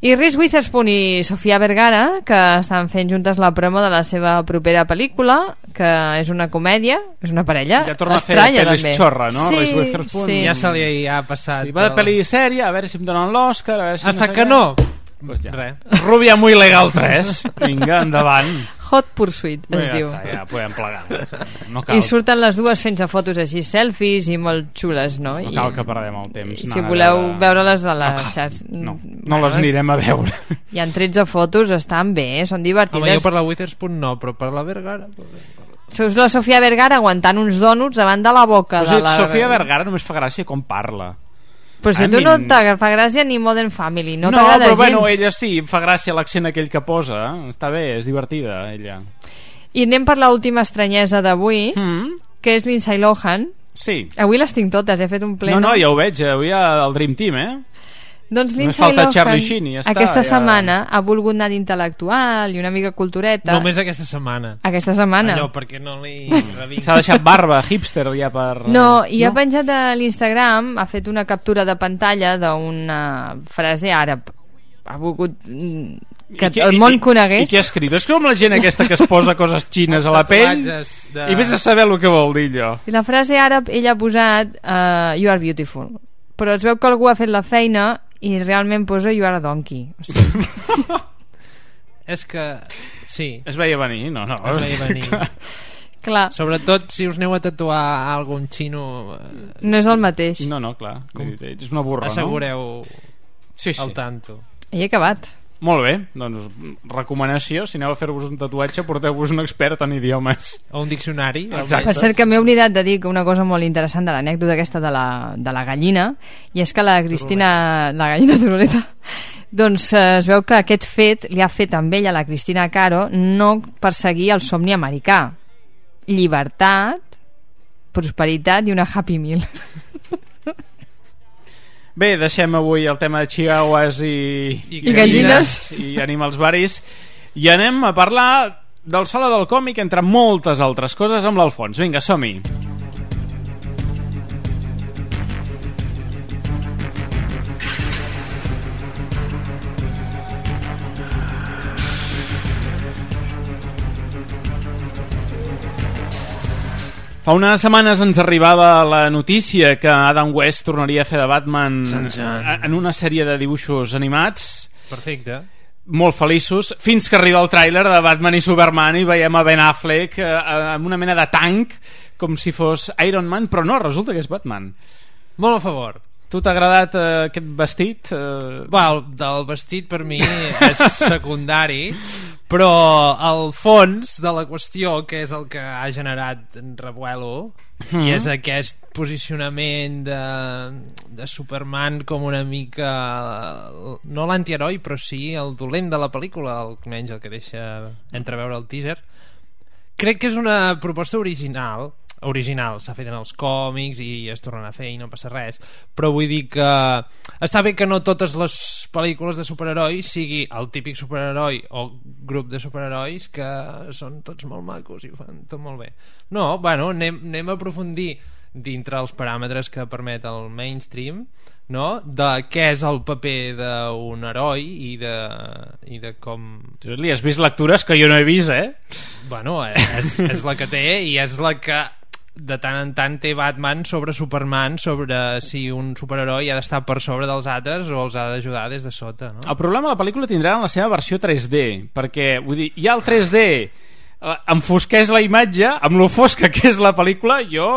I Reese Witherspoon i Sofia Vergara, que estan fent juntes la promo de la seva propera pel·lícula, que és una comèdia, és una parella ja torna estranya, a fer pel·lis xorra, no? Sí, Reese Witherspoon. sí. Ja se li ha passat. Sí, va de pel·li sèria, a veure si em donen l'Òscar, a veure si Hasta no sé que què. no. Pues ja. Res. Rubia muy legal tres. Vinga, endavant. Hot Pursuit, es Bé, ja diu. està, ja podem plegar. No cal, I surten les dues fent-se fotos així, selfies i molt xules, no? no I, cal que perdem el temps. i si anant a voleu veure- veure-les a les No, xarxes... no, no les anirem a veure. Hi ha tretze fotos, estan bé, són Home, divertides. jo per la Witherspoon no, però per la Vergara... Seus la Sofia Vergara aguantant uns dònuts davant de la boca Però de si la... Sofia Vergara només fa gràcia com parla. Però si I a tu mean- no t'agrada gràcia ni Modern Family, no, No, t'agrada però gens. bueno, ella sí, em fa gràcia l'accent aquell que posa. Està bé, és divertida, ella. I anem per l'última estranyesa d'avui, Mm. que és Lindsay Lohan. Sí. Avui les tinc totes, he fet un pleno. No, no, ja ho veig, avui hi ha el Dream Team, eh? Doncs Només Lindsay falta Lohan Charlie Sheen i ja està, aquesta ja- setmana ha volgut anar d'intel·lectual i una mica cultureta. Només aquesta setmana. Aquesta setmana. Allò, perquè no li revinc. S'ha deixat barba, hipster, ja per... No, i ha penjat a l'Instagram, ha fet una captura de pantalla d'una frase àrab. Ha volgut mm, que I qui- el i- món i- conegués. I qui ha escrit? És com la gent aquesta que es posa coses xines a la pell Tatuatges de- i vés a saber el que vol dir allò. I la frase àrab ella ha posat uh, You are beautiful. Però es veu que algú ha fet la feina i realment posa You are a donkey. O sigui, És que... Sí. Es veia venir, no, no. Es veia venir. clar, Sobretot si us aneu a tatuar algun xino... eh, no és el mateix. No, no, clar. Com? És una burra, Assegureu no? Sí, sí. el tanto. I he acabat. Molt bé, doncs recomanació, si aneu a fer-vos un tatuatge porteu-vos un expert en idiomes. O un diccionari. Exacte. Per cert, que m'he oblidat de dir que una cosa molt interessant de l'anècdota aquesta de la, de la gallina, i és que la Cristina... La gallina turuleta. Doncs eh, es veu que aquest fet li ha fet amb ella, la Cristina Caro, no perseguir el somni americà. Llibertat, prosperitat i una Happy Meal. Bé, deixem avui el tema de chihuahuas i, I gallines. i animals varis i anem a parlar del Sala del Còmic, entre moltes altres coses, amb l'Alfons. Vinga, som-hi. Fa unes setmanes ens arribava la notícia que Adam West tornaria a fer de Batman en una sèrie de dibuixos animats. Perfecte. Molt feliços, fins que arriba el tràiler de Batman i Superman i veiem a Ben Affleck eh, amb una mena de tanc, com si fos Iron Man, però no, resulta que és Batman. Molt a favor. Tu t'ha agradat eh, aquest vestit? Eh... Va, el, el vestit per mi és secundari, però el fons de la qüestió, que és el que ha generat revuelo, mm. i és aquest posicionament de, de Superman com una mica, no l'antiheroi, però sí el dolent de la pel·lícula, almenys el que deixa entreveure el teaser. Crec que és una proposta original, original, s'ha fet en els còmics i es tornen a fer i no passa res, però vull dir que està bé que no totes les pel·lícules de superherois sigui el típic superheroi o grup de superherois que són tots molt macos i ho fan tot molt bé. No, bueno, anem, anem a aprofundir dintre els paràmetres que permet el mainstream, no? De què és el paper d'un heroi i de, i de com... Tu li has vist lectures que jo no he vist, eh? Bueno, és, és la que té i és la que de tant en tant té Batman sobre Superman, sobre si un superheroi ha d'estar per sobre dels altres o els ha d'ajudar des de sota, no? El problema de la pel·lícula tindrà en la seva versió tres D, perquè vull dir, hi ha el tres D eh, enfosqueix la imatge amb lo fosca que és la pel·lícula. Jo...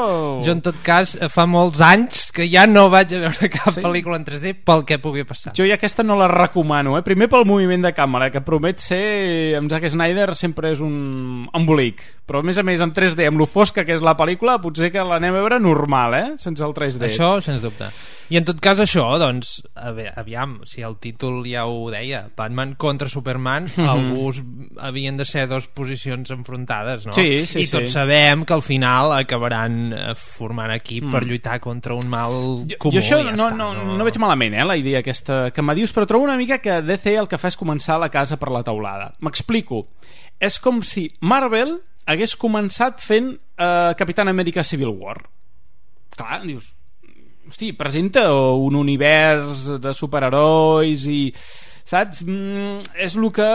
Jo en tot cas fa molts anys que ja no vaig a veure cap sí? pel·lícula en tres D pel que pugui passar. Jo ja aquesta no la recomano, eh? Primer pel moviment de càmera, que promet ser, amb Zack Snyder sempre és un embolic, però a més a més en tres D, amb lo fosca que és la pel·lícula, potser que l'anem a veure normal, eh? Sense el tres D. Això, sens dubte. I en tot cas això, doncs, aviam, si el títol ja ho deia, Batman contra Superman, mm-hmm. alguns havien de ser dues posicions enfrontades, no? Sí, sí, I tots sí. sabem que al final acabaran formant equip mm. per lluitar contra un mal jo, comú. Jo això ja no, està, no, no... no veig malament, eh, la idea aquesta que me dius, però trobo una mica que D C el que fa és començar la casa per la teulada. M'explico. És com si Marvel hagués començat fent eh, Capitán Amèrica Civil War. Clar, dius... Hosti, presenta un univers de superherois i saps? Mm, és el que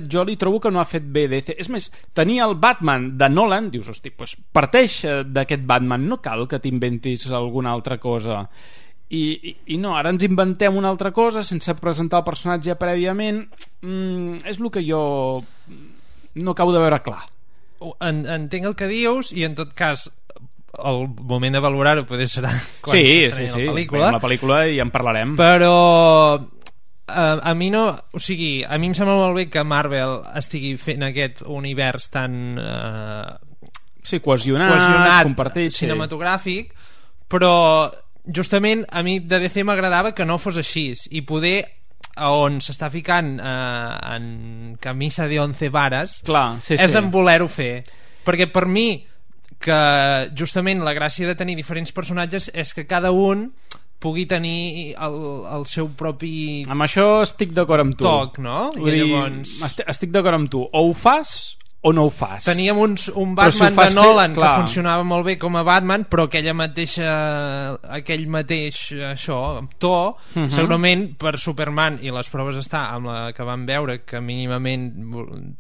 jo li trobo que no ha fet bé D C. És més, tenir el Batman de Nolan, dius, hosti, pues parteix d'aquest Batman, no cal que t'inventis alguna altra cosa. I, i, i no, ara ens inventem una altra cosa sense presentar el personatge prèviament. Mm, és el que jo no acabo de veure clar. En, entenc el que dius, i en tot cas el moment de valorar-ho potser serà quan sí, s'estreni sí, sí. la pel·lícula. la pel·lícula i en parlarem. Però a, a mi no, o sigui, a mi em sembla molt bé que Marvel estigui fent aquest univers tan eh, sí, cohesionat, cohesionat compartit, cinematogràfic, sí. Però justament a mi de D C m'agradava que no fos així, i poder on s'està ficant eh, en camisa de once vares. Clar, sí, és sí. en voler-ho fer, perquè per mi que justament la gràcia de tenir diferents personatges és que cada un pugui tenir el, el seu propi amb això estic d'acord amb tu toc, no? Vull I dir, llavors estic, estic d'acord amb tu, o ho fas o no ho fas. Teníem uns, un Batman si de Nolan fer, que funcionava molt bé com a Batman, però aquella mateixa aquell mateix això, to, uh-huh. segurament per Superman, i les proves està amb la que vam veure, que mínimament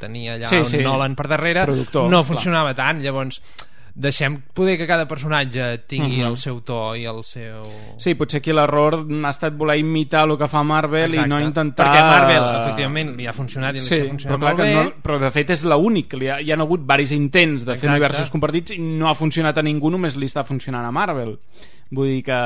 tenia allà sí, un sí. Nolan per darrere, productor, no funcionava clar. tant, llavors deixem poder que cada personatge tingui uh-huh. el seu to i el seu... Sí, potser aquí l'error ha estat voler imitar el que fa Marvel. Exacte. I no intentar... Perquè Marvel, efectivament, li ha funcionat i li sí, està funcionant però molt bé. No, però de fet és l'únic, que hi ha, hi ha hagut varis intents de fer Exacte. universos compartits i no ha funcionat a ningú, només li està funcionant a Marvel. Vull dir que...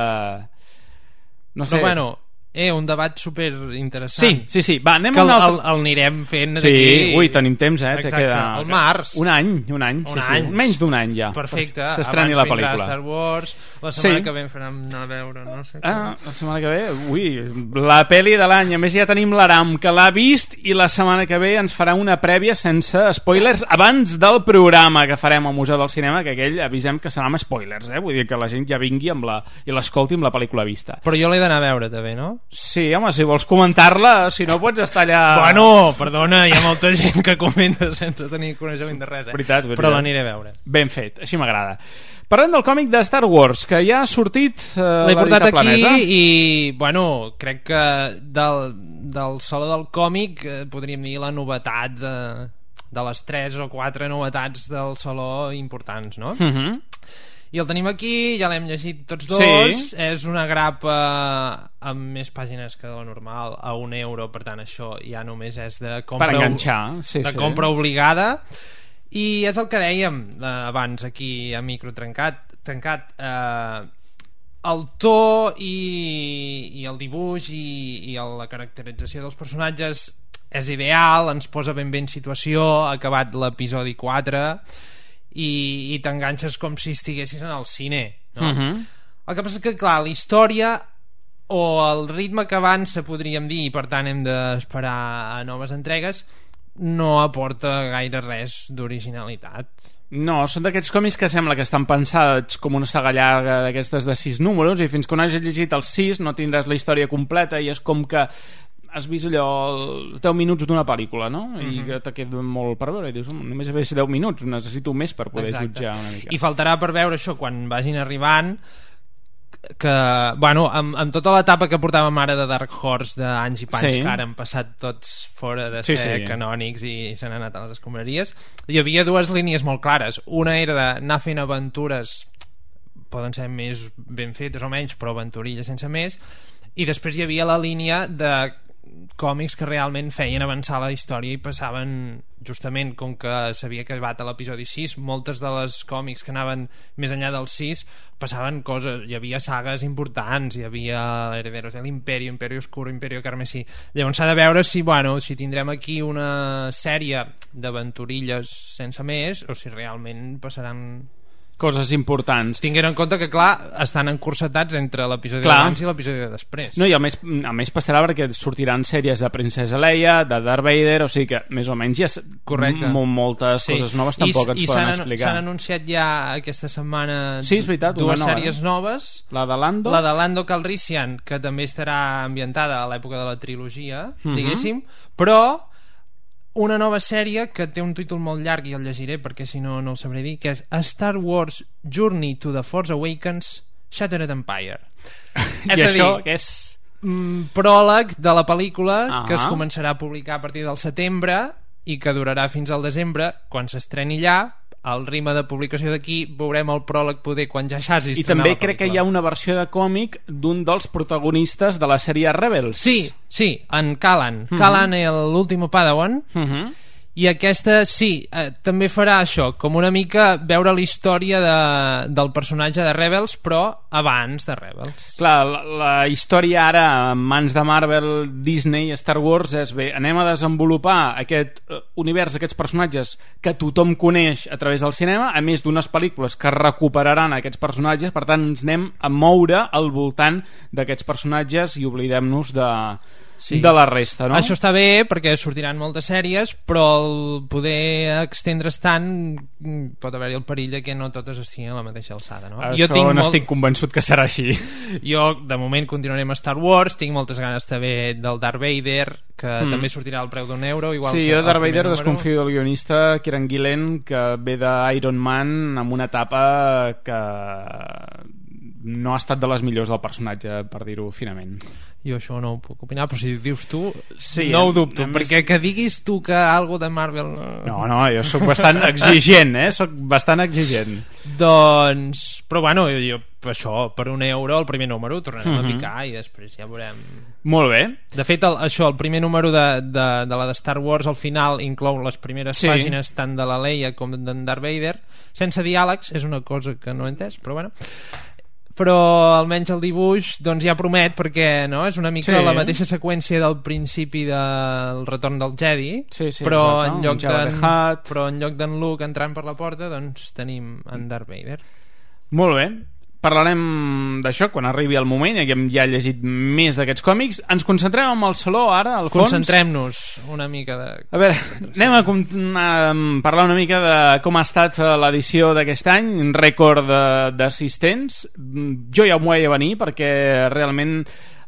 No sé... Però bueno... Eh, un debat super interessant. Sí, sí, sí. Va, anem que a un altre... el, el anirem fent sí, d'aquí... ui, tenim temps, eh? Exacte, queda... al març. Un any, un any. Un sí, any. Sí. Menys d'un any ja. Perfecte. S'estreni la pel·lícula. Abans vindrà Star Wars, la setmana sí. que ve farem anar a veure, no sé. Ah, la setmana que ve? Ui, la pel·li de l'any. A més ja tenim l'Aram, que l'ha vist, i la setmana que ve ens farà una prèvia sense spoilers abans del programa que farem al Museu del Cinema, que aquell avisem que serà amb spoilers, eh? Vull dir que la gent ja vingui amb la... i l'escolti amb la pel·lícula vista. Però jo l'he d'anar a veure també, no? Sí, home, si vols comentar-la, si no pots estar allà... Bueno, perdona, hi ha molta gent que comenta sense tenir coneixement de res, eh? Veritat, veritat. Però l'aniré a veure. Ben fet, així m'agrada. Parlem del còmic de Star Wars, que ja ha sortit eh, l'he portat aquí Planeta. I, bueno, crec que del, del saló del còmic eh, podríem dir la novetat de, de les tres o quatre novetats del saló importants, no? Mhm. Uh-huh. I el tenim aquí, ja l'hem llegit tots dos. Sí. És una grapa amb més pàgines que de la normal, a un euro, per tant això ja només és de compra, per enganxar, sí, de sí. compra obligada. I és el que dèiem eh, abans aquí a micro trencat, tancat eh, el to i, i el dibuix i, i el, la caracterització dels personatges és ideal, ens posa ben bé en situació, ha acabat l'episodi quatre i, i t'enganxes com si estiguessis en el cine, no? Uh-huh. El que passa és que, clar, la història o el ritme que avança, podríem dir, i per tant hem d'esperar a noves entregues, no aporta gaire res d'originalitat. No, són d'aquests còmics que sembla que estan pensats com una saga llarga d'aquestes de sis números i fins que no hagis llegit els sis no tindràs la història completa i és com que has vist allò deu minuts d'una pel·lícula, no? I Mm-hmm. que te queda molt per veure i dius, només he vist deu minuts, necessito més per poder Exacte. jutjar una mica. I faltarà per veure això quan vagin arribant, que, bueno, amb, amb tota l'etapa que portàvem ara de Dark Horse d'anys i panys, Sí. que ara han passat tots fora de Sí, ser sí. canònics i s'han anat a les escombraries, hi havia dues línies molt clares. Una era d'anar fent aventures, poden ser més ben fetes o menys, però aventurilles sense més, i després hi havia la línia de còmics que realment feien avançar la història i passaven, justament com que s'havia acabat a l'episodi sis, moltes de les còmics que anaven més enllà del sis passaven coses, hi havia sagues importants, hi havia Herederos de l'Imperio, Imperio Oscuro, Imperio Carmesí. Llavors s'ha de veure si, bueno, si tindrem aquí una sèrie d'aventurilles sense més o si realment passaran coses importants. Tinguent en compte que, clar, estan encursetats entre l'episodi Clar. d'abans i l'episodi de després. No, i a més, a més passarà perquè sortiran sèries de Princesa Leia, de Darth Vader, o sigui que més o menys hi ha Correcte. m- moltes Sí. coses noves I, tampoc ens i poden s'han, explicar. s'han anunciat ja aquesta setmana Sí, és veritat, dues una nova, sèries eh? noves. La de Lando. La de Lando Calrissian, que també estarà ambientada a l'època de la trilogia, Mhm. diguéssim, però una nova sèrie que té un títol molt llarg i el llegiré perquè si no no el sabré dir, que és A Star Wars Journey to the Force Awakens Shattered Empire. I és a això dir, que és... mm, pròleg de la pel·lícula Ah. que es començarà a publicar a partir del setembre i que durarà fins al desembre, quan s'estreni allà. Al ritme de publicació d'aquí veurem el pròleg poder quan ja s'hagi I estrenat també la crec que pel·lícula. hi ha una versió de còmic d'un dels protagonistes de la sèrie Rebels. Sí, sí, en Callan. Mhm. Callan, l'último Padawan. Mhm. I aquesta, sí, eh, també farà això, com una mica veure la història de, del personatge de Rebels, però abans de Rebels. Clar, la, la història ara en mans de Marvel, Disney, Star Wars és bé, anem a desenvolupar aquest uh, univers, aquests personatges que tothom coneix a través del cinema, a més d'unes pel·lícules que recuperaran aquests personatges, per tant ens anem a moure al voltant d'aquests personatges i oblidem-nos de... Sí. de la resta, no? Això està bé perquè sortiran moltes sèries, però el poder extendre's tant pot haver-hi el perill de que no totes estiguin a la mateixa alçada, no? Això jo tinc no molt... estic convençut que serà així. Jo, de moment, continuaré amb Star Wars, tinc moltes ganes també del Darth Vader, que mm. també sortirà al preu d'un euro, igual sí, que jo Darth Vader número. Desconfio del guionista Kieran Gillen, que ve d'Iron Man amb una etapa que no ha estat de les millors del personatge, per dir-ho finament. Jo això no ho puc opinar, però si dius tu, sí, no ho dubto, més... perquè que diguis tu que algo de Marvel... No, no, jo sóc bastant exigent, eh? Sóc bastant exigent. Doncs, però bueno, jo, jo això, per un euro, el primer número, tornarem uh-huh. a picar i després ja veurem... Molt bé. De fet, el, això, el primer número de, de, de la de Star Wars, al final, inclou les primeres sí. pàgines tant de la Leia com d'en Darth Vader, sense diàlegs, és una cosa que no he entès, però bueno... però almenys el dibuix doncs ja promet, perquè no és una mica sí. la mateixa seqüència del principi del Retorn del Jedi, sí, sí, però, exacte, en lloc d'en, però en lloc d'en Luke entrant per la porta doncs tenim en Darth Vader. Molt bé, parlarem d'això quan arribi el moment, ja que hem ja llegit més d'aquests còmics. Ens concentrem en el saló ara, al fons. Concentrem-nos una mica de... A veure, anem a, a parlar una mica de com ha estat l'edició d'aquest any, un rècord d'assistents. Jo ja m'ho veia venir perquè realment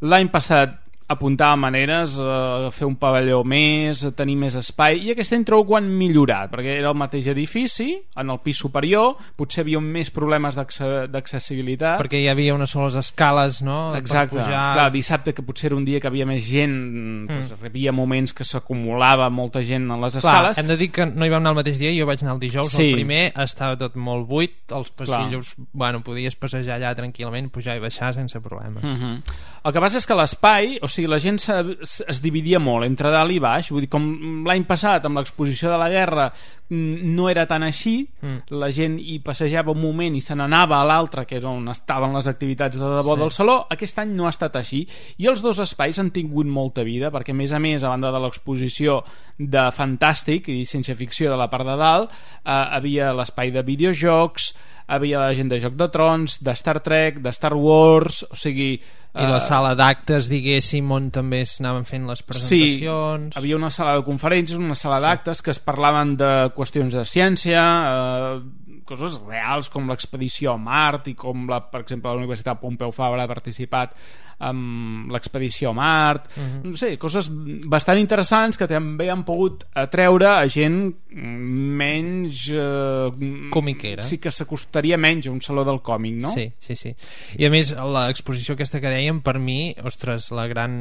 l'any passat apuntar maneres, a fer un pavelló més, a tenir més espai, i aquest any trobo que ho han millorat, perquè era el mateix edifici, en el pis superior, potser hi havia més problemes d'accessibilitat. Perquè hi havia unes soles escales, no? Exacte, per pujar... clar, dissabte, que potser era un dia que havia més gent, mm. doncs, hi havia moments que s'acumulava molta gent en les escales. Clar, hem de dir que no hi vam anar el mateix dia, jo vaig anar el dijous, sí. el primer estava tot molt buit, els passillos, clar. Bueno, podies passejar allà tranquil·lament, pujar i baixar sense problemes. Mm-hmm. El que passa és que l'espai, o sigui, la gent es dividia molt entre dalt i baix, vull dir, com l'any passat amb l'exposició de la guerra no era tan així, mm. la gent hi passejava un moment i se n'anava a l'altre, que és on estaven les activitats de debò sí. del saló. Aquest any no ha estat així, i els dos espais han tingut molta vida, perquè a més a més, a banda de l'exposició de fantàstic i ciència-ficció de la part de dalt, eh, havia l'espai de videojocs, havia la gent de Joc de Trons, de Star Trek, de Star Wars, o sigui... I la sala d'actes, diguéssim, on també s'anaven fent les presentacions... Sí, havia una sala de conferències, una sala d'actes que es parlaven de qüestions de ciència, eh, coses reals com l'expedició a Mart i com, la, per exemple, la Universitat Pompeu Fabra ha participat amb l'expedició a Mart, uh-huh. no sé, coses bastant interessants que també han pogut atreure a gent menys... Eh, comiquera. Sí, que s'acostaria menys a un saló del còmic, no? Sí, sí, sí. I a més, l'exposició aquesta que dèiem, per mi, ostres, la gran,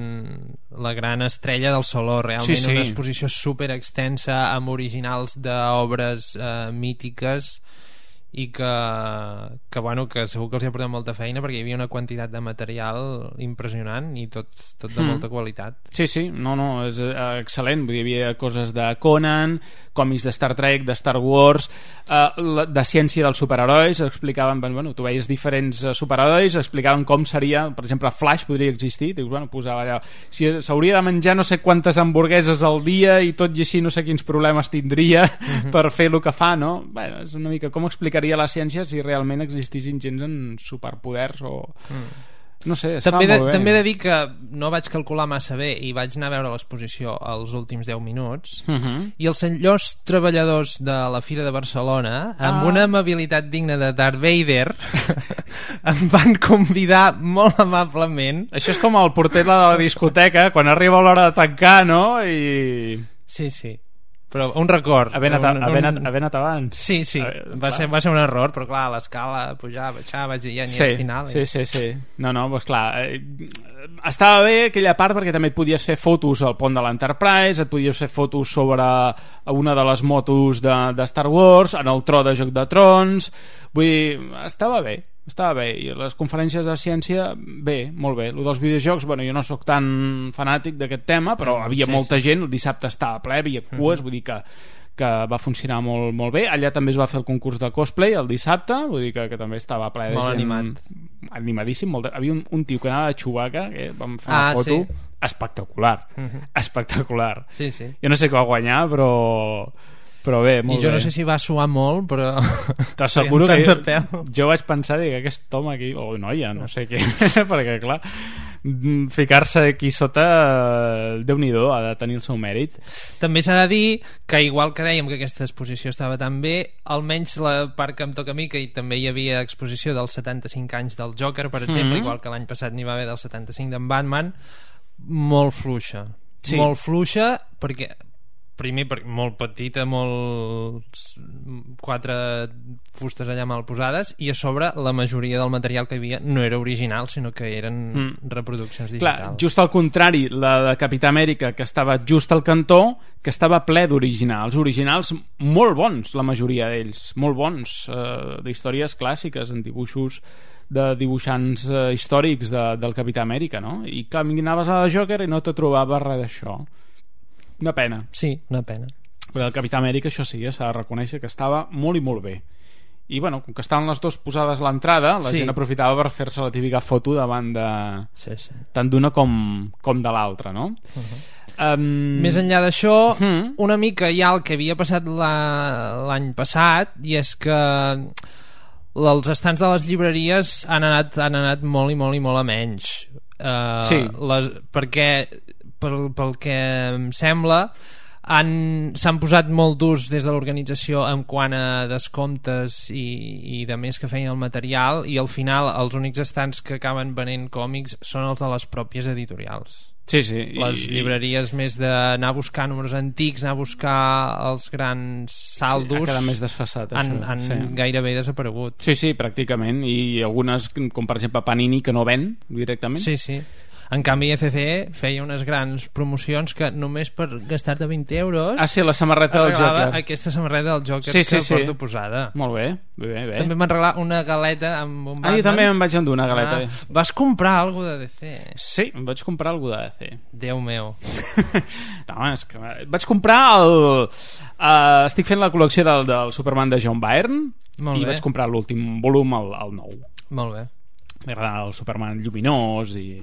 la gran estrella del saló, realment sí, sí. una exposició super extensa amb originals d'obres eh, mítiques i que, que, bueno, que segur que els hi ha portat molta feina perquè hi havia una quantitat de material impressionant i tot, tot de mm. molta qualitat. Sí, sí, no, no, és excel·lent. Vull dir, hi havia coses de Conan, còmics de Star Trek, de Star Wars, eh, de ciència dels superherois, explicaven, bueno, tu veies diferents superherois, explicaven com seria, per exemple, Flash podria existir, dius, bueno, posava allà, si s'hauria de menjar no sé quantes hamburgueses al dia i tot i així no sé quins problemes tindria mm-hmm. per fer el que fa, no? Bueno, és una mica com explicaria la ciència si realment existissin gens amb superpoders o... Mm. No sé, estava també de, molt bé. També he de dir que no vaig calcular massa bé i vaig anar a veure l'exposició els últims deu minuts uh-huh. i els senyors treballadors de la Fira de Barcelona, ah. amb una amabilitat digna de Darth Vader, em van convidar molt amablement. Això és com el porter de la discoteca, quan arriba l'hora de tancar, no? I... Sí, sí. però un record. Haver anat, un, haver un... anat, haver anat abans. Sí, sí, va ser, va ser un error, però clar, l'escala, pujar, baixar, vaig dir ja ni sí, al final. Sí, sí, sí. No, no, doncs clar, eh, estava bé aquella part perquè també et podies fer fotos al pont de l'Enterprise, et podies fer fotos sobre una de les motos de, de Star Wars, en el tro de Joc de Trons, vull dir, estava bé. Estava bé, i les conferències de ciència, bé, molt bé. El dels videojocs, bueno, jo no sóc tan fanàtic d'aquest tema, però havia sí, molta sí. gent, el dissabte estava ple, havia cues, mm-hmm. vull dir que, que va funcionar molt, molt bé. Allà també es va fer el concurs de cosplay el dissabte, vull dir que, que també estava ple de molt gent. Animat. Animadíssim. Molt de... Havia un, un tio que anava de Chewbacca, que vam fer una ah, foto sí. espectacular. Mm-hmm. Espectacular. Sí, sí. Jo no sé què va guanyar, però... però bé, molt i jo bé. No sé si va suar molt, però t'asseguro que jo, jo vaig pensar que aquest home aquí, o noia, no sé què perquè clar, ficar-se aquí sota, Déu-n'hi-do, ha de tenir el seu mèrit. També s'ha de dir que igual que dèiem que aquesta exposició estava tan bé, almenys la part que em toca a mi, que també hi havia exposició dels setanta-cinc anys del Joker, per exemple, mm-hmm. igual que l'any passat n'hi va haver del setanta-cinc d'en Batman, molt fluixa, sí. molt fluixa, perquè primer perquè molt petita, molt quatre fustes allà mal posades, i a sobre la majoria del material que hi havia no era original, sinó que eren mm. reproduccions digitals. Clar, just al contrari, la de Capità Amèrica, que estava just al cantó, que estava ple d'originals, originals molt bons, la majoria d'ells, molt bons, eh, d'històries clàssiques, en dibuixos de dibuixants eh, històrics de, del Capità Amèrica, no? I clar, anaves a la Joker i no te trobaves res d'això. Una pena. Sí, una pena. Però el Capità Amèrica, això sí, s'ha de reconèixer que estava molt i molt bé. I bueno, com que estaven les dues posades a l'entrada, la sí. gent aprofitava per fer-se la típica foto davant de... Sí, sí. tant d'una com, com de l'altra, no? Uh-huh. Um... Més enllà d'això, uh-huh. una mica ja el que havia passat la... l'any passat, i és que els estants de les llibreries han anat, han anat molt i molt i molt a menys. Uh, sí. Les... Perquè... Pel, pel que em sembla han, s'han posat molt durs des de l'organització en quant a descomptes i, i de més que feien el material, i al final els únics estants que acaben venent còmics són els de les pròpies editorials. Sí, sí. Les I... llibreries més d'anar a buscar números antics, anar a buscar els grans saldos, sí, ha quedat més desfasat, han, això, han sí. gairebé desaparegut. Sí, sí, pràcticament, i algunes, com per exemple Panini, que no ven directament. Sí, sí. En canvi E C C feia unes grans promocions que només per gastar-te vint euros ah sí, la samarreta del Joker, aquesta samarreta del Joker sí, sí, que sí. porto posada. Molt bé, bé, bé. També m'han regalat una galeta amb un Batman. Ah, jo també em vaig endur una galeta. Ah, vas comprar alguna de D C? Sí, em vaig comprar alguna de D C. Déu meu. No, és que vaig comprar el... Uh, estic fent la col·lecció del, del Superman de John Byrne i vaig comprar l'últim volum, el, el nou. Molt bé. M'agrada el Superman lluminós i...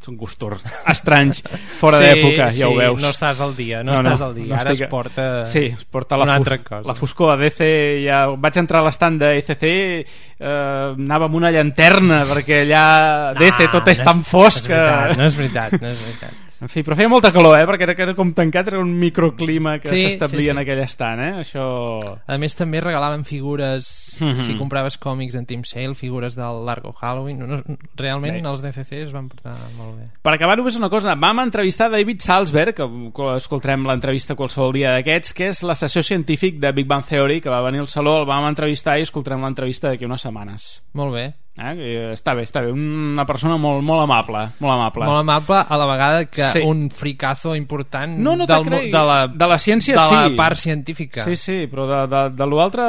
són gustos estranys fora sí, d'època, ja sí, ho veus. No estàs al dia, no, no estàs al dia. No ara estic... es porta, sí, es porta la, una fus... altra cosa. La foscor a D C. Ja... Vaig entrar a l'estand de E C C, eh, anava amb una llanterna perquè allà no, D C tot és no tan fosc que... No és veritat, no és veritat. En fi, però feia molta calor, eh? Perquè era, era com tancat, era un microclima que sí, s'establia sí, sí. en aquell estant, eh? Això... A més, també regalaven figures, mm-hmm. si compraves còmics en Team Sale, figures del Largo Halloween. No, no, realment bé. Els D C C es van portar molt bé. Per acabar, només una cosa. Vam entrevistar David Salzberg, que escoltarem l'entrevista qualsevol dia d'aquests, que és l'assessor científic de Big Bang Theory, que va venir al Saló, el vam entrevistar i escoltarem l'entrevista d'aquí unes setmanes. Molt bé. Eh? Està bé, està bé. Una persona molt, molt amable, molt amable. Molt amable, a la vegada que sí. un fricazo important no, no del, de, la, de la ciència, de sí. la part científica. Sí, sí, però de, de, de l'altre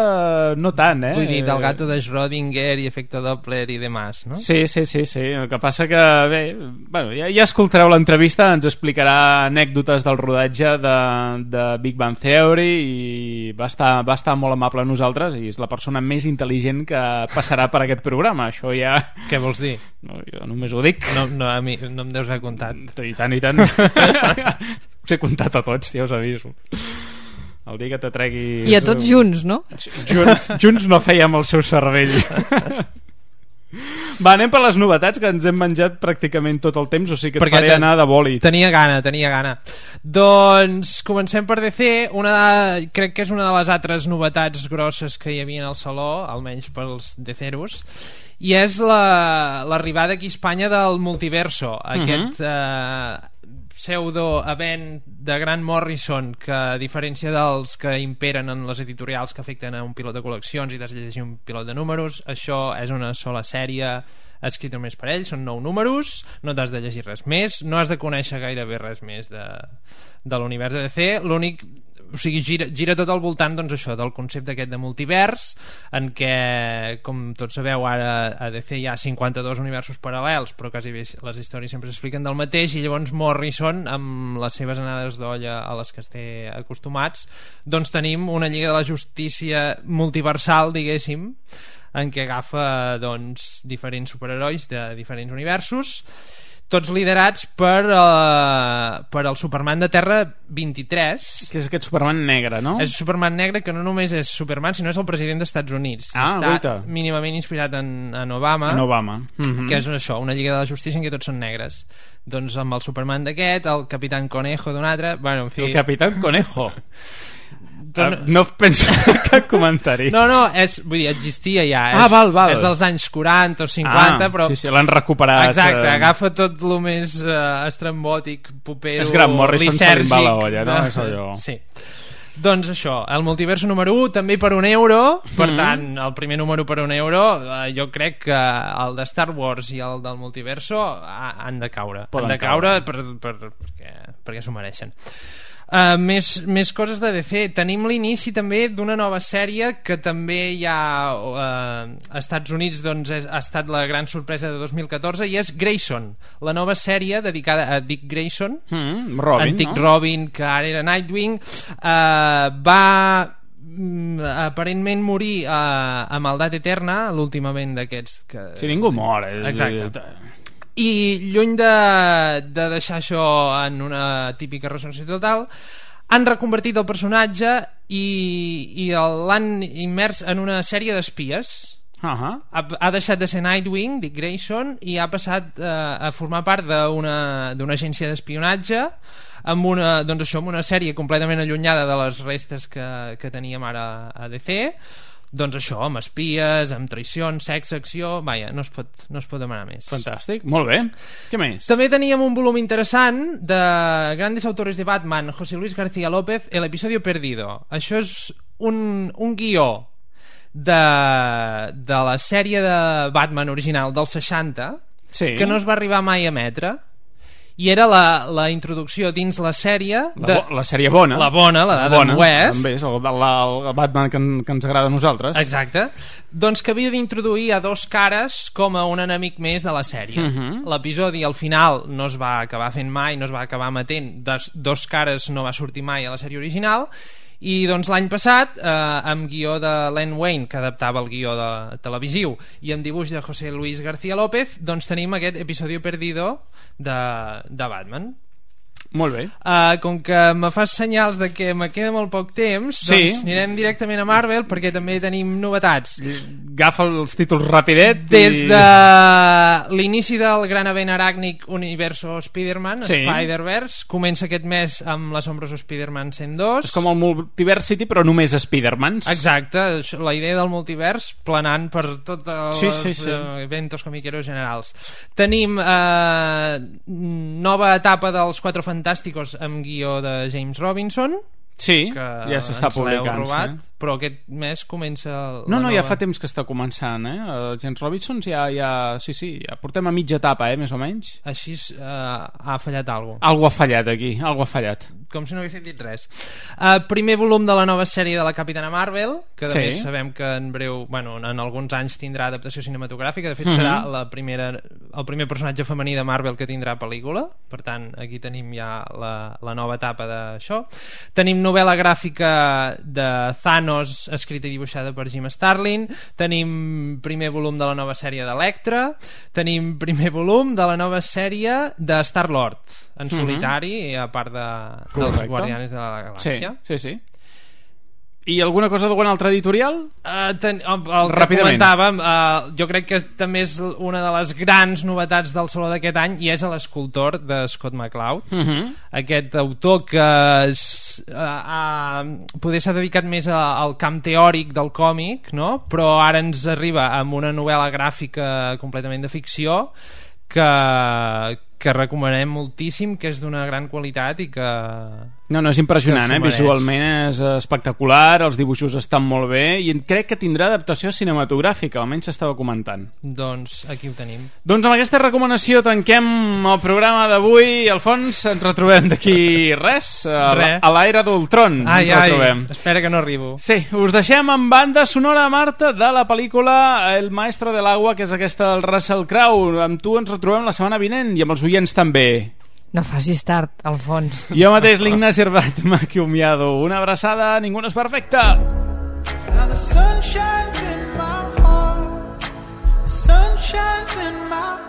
no tant, eh? Vull dir, del gato de Schrödinger i efecte Doppler i demás, no? Sí, sí, sí, sí. El que passa que, bé, bueno, ja, ja escoltareu l'entrevista, ens explicarà anècdotes del rodatge de, de Big Bang Theory i va estar, va estar molt amable a nosaltres i és la persona més intel·ligent que passarà per aquest programa. Això ja... Què vols dir? No, jo només ho dic. No, no, a mi no em deus haver comptat. I tant, i tant. Us he comptat a tots, ja us aviso. El dia que t'atreguis... I a tots junts, no? Junts, junts no fèiem el seu cervell. Va, anem per les novetats, que ens hem menjat pràcticament tot el temps, o sigui que et perquè faré anar de bòlit. Tenia gana, tenia gana. Doncs comencem per D C. Una de, crec que és una de les altres novetats grosses que hi havia al Saló, almenys pels DCeros, i és la, l'arribada aquí a Espanya del Multiverso, aquest uh-huh. eh, pseudo-event de Grant Morrison que, a diferència dels que imperen en les editorials que afecten a un pilot de col·leccions i t'has de llegir un pilot de números, això és una sola sèrie escrita només per ell, són nou números, no t'has de llegir res més, no has de conèixer gairebé res més de, de l'univers de D C. L'únic, o sigui, gira, gira tot al voltant, doncs, això, del concepte aquest de multivers, en què, com tots sabeu, ara a D C hi ha cinquanta-dos universos paral·lels, però quasi bé les històries sempre s'expliquen del mateix, i llavors Morrison, amb les seves anades d'olla a les que esté acostumats, doncs tenim una Lliga de la Justícia multiversal, diguéssim, en què agafa, doncs, diferents superherois de diferents universos, tots liderats per, uh, per el Superman de Terra vint-i-tres, que és aquest Superman negre, no? És Superman negre, que no només és Superman, sinó és el president dels Estats Units. Ah, està guaita. Mínimament inspirat en, en Obama, en Obama. Mm-hmm. Que és això, una Lliga de la Justícia en què tots són negres. Doncs amb el Superman d'aquest, el Capitán Conejo d'un altre, bueno, en fi... El Capitán Conejo. Però no, no penso cap comentari. No, no, és, vull dir, existia ja. És, ah, val, val. És dels anys quaranta o cinquanta, ah, però... Sí, sí, l'han recuperat. Exacte, eh... agafa tot el més uh, estrambòtic, popero, és Grant Morrison lisèrgic. Se li va la olla, no? És allò. Sí. Doncs això, el multiverso número u també per un euro, per mm-hmm. tant el primer número per un euro, eh, jo crec que el de Star Wars i el del multiverso ha, han de caure. Poden han de caure, caure per, per, perquè, perquè s'ho mereixen. Uh, més, més coses de D C. Tenim l'inici també d'una nova sèrie que també hi ha uh, als Estats Units, doncs és, ha estat la gran sorpresa de dos mil catorze, i és Grayson, la nova sèrie dedicada a Dick Grayson, mm, Robin, antic no? Robin, que ara era Nightwing. uh, va mm, aparentment morir uh, a maldat eterna, l'últimament d'aquests que... Si ningú mor, eh? Exacte. I lluny de, de deixar això en una típica resolució total, han reconvertit el personatge i, i l'han immers en una sèrie d'espies. Uh-huh. ha, ha deixat de ser Nightwing, Dick Grayson, i ha passat eh, a formar part d'una d'una agència d'espionatge, amb una, doncs això, amb una sèrie completament allunyada de les restes que, que teníem ara a D C. Doncs això, amb espies, amb traïcions, sexe, acció... Vaja, no es pot, no es pot demanar més. Fantàstic, molt bé. Què més? També teníem un volum interessant de grandes autores de Batman, José Luis García López, El episodio perdido. Això és un, un guió de, de la sèrie de Batman original dels seixanta, sí, que no es va arribar mai a emetre, i era la, la introducció dins la sèrie de... la, bo, la sèrie bona, la bona, la d'Adam West, també és el, la, el Batman que, en, que ens agrada a nosaltres. Exacte. Doncs que havia d'introduir a dos cares com a un enemic més de la sèrie. uh-huh. L'episodi al final no es va acabar fent mai, no es va acabar emetent, dos, dos cares no va sortir mai a la sèrie original. I doncs l'any passat, eh, amb guió de Len Wein, que adaptava el guió de televisiu, i amb dibuix de José Luis García López, doncs tenim aquest episodio perdido de, de Batman. Molt bé. Uh, com que me fas senyals de que me queda molt poc temps, sí, doncs anirem directament a Marvel, perquè també tenim novetats. Agafa els títols rapidet. Des i... de l'inici del gran event aràcnic Universo Spider-Man, sí, Spider-Verse, comença aquest mes amb l'assombroso Spider-Man cent dos. És com el Multiversity, però només Spider-Mans. Exacte, la idea del multivers planant per tots els sí, sí, sí. eventos comiqueros generals. Tenim eh, nova etapa dels Quatre Fantàsticos amb guió de James Robinson. Sí, que ja s'està publicant, robat, sí. Però aquest mes comença no, no, nova... ja fa temps que està començant, eh? El James Robinson ja, ja, sí, sí, ja portem a mitja etapa, eh, més o menys. Així uh, ha fallat alguna cosa. Algo ha fallat aquí, algo ha fallat. Com si no haguéssim dit res. Uh, primer volum de la nova sèrie de la Capitana Marvel, que a sí. més sabem que en breu, bueno, en alguns anys tindrà adaptació cinematogràfica, de fet mm-hmm. serà la primera, el primer personatge femení de Marvel que tindrà pel·lícula, per tant aquí tenim ja la, la nova etapa d'això. Tenim novel·la gràfica de Thanos, escrita i dibuixada per Jim Starlin. Tenim primer volum de la nova sèrie d'Electra. Tenim primer volum de la nova sèrie de Star-Lord en mm-hmm. solitari, a part de, dels Guardianes de la Galàxia. Sí, sí, sí. I alguna cosa d'algun altre editorial? Uh, ten, el, el que comentàvem, uh, jo crec que també és una de les grans novetats del Saló d'aquest any, i és l'escultor de Scott McCloud. Uh-huh. Aquest autor que es, uh, uh, poder s'ha dedicat més a, al camp teòric del còmic, no? Però ara ens arriba amb una novel·la gràfica completament de ficció que, que recomanem moltíssim, que és d'una gran qualitat i que... No, no, és impressionant, eh? Visualment és espectacular, els dibuixos estan molt bé i crec que tindrà adaptació cinematogràfica, almenys s'estava comentant. Doncs aquí ho tenim. Doncs amb aquesta recomanació tanquem el programa d'avui. Alfons, ens retrobem d'aquí res, a, Re. a l'Era d'Ultron. Ai, ens retrobem. ai, espera que no arribo. Sí, us deixem amb banda sonora, Marta, de la pel·lícula El maestro del agua, que és aquesta del Russell Crowe. Amb tu ens retrobem la setmana vinent i amb els oients també. No facis tard, Alfons. Jo mateix, l'Ignasi Herbat, m'ha acomiado. Una abraçada, ningú no és perfecte. Now the sun shines in my heart, the sun shines in my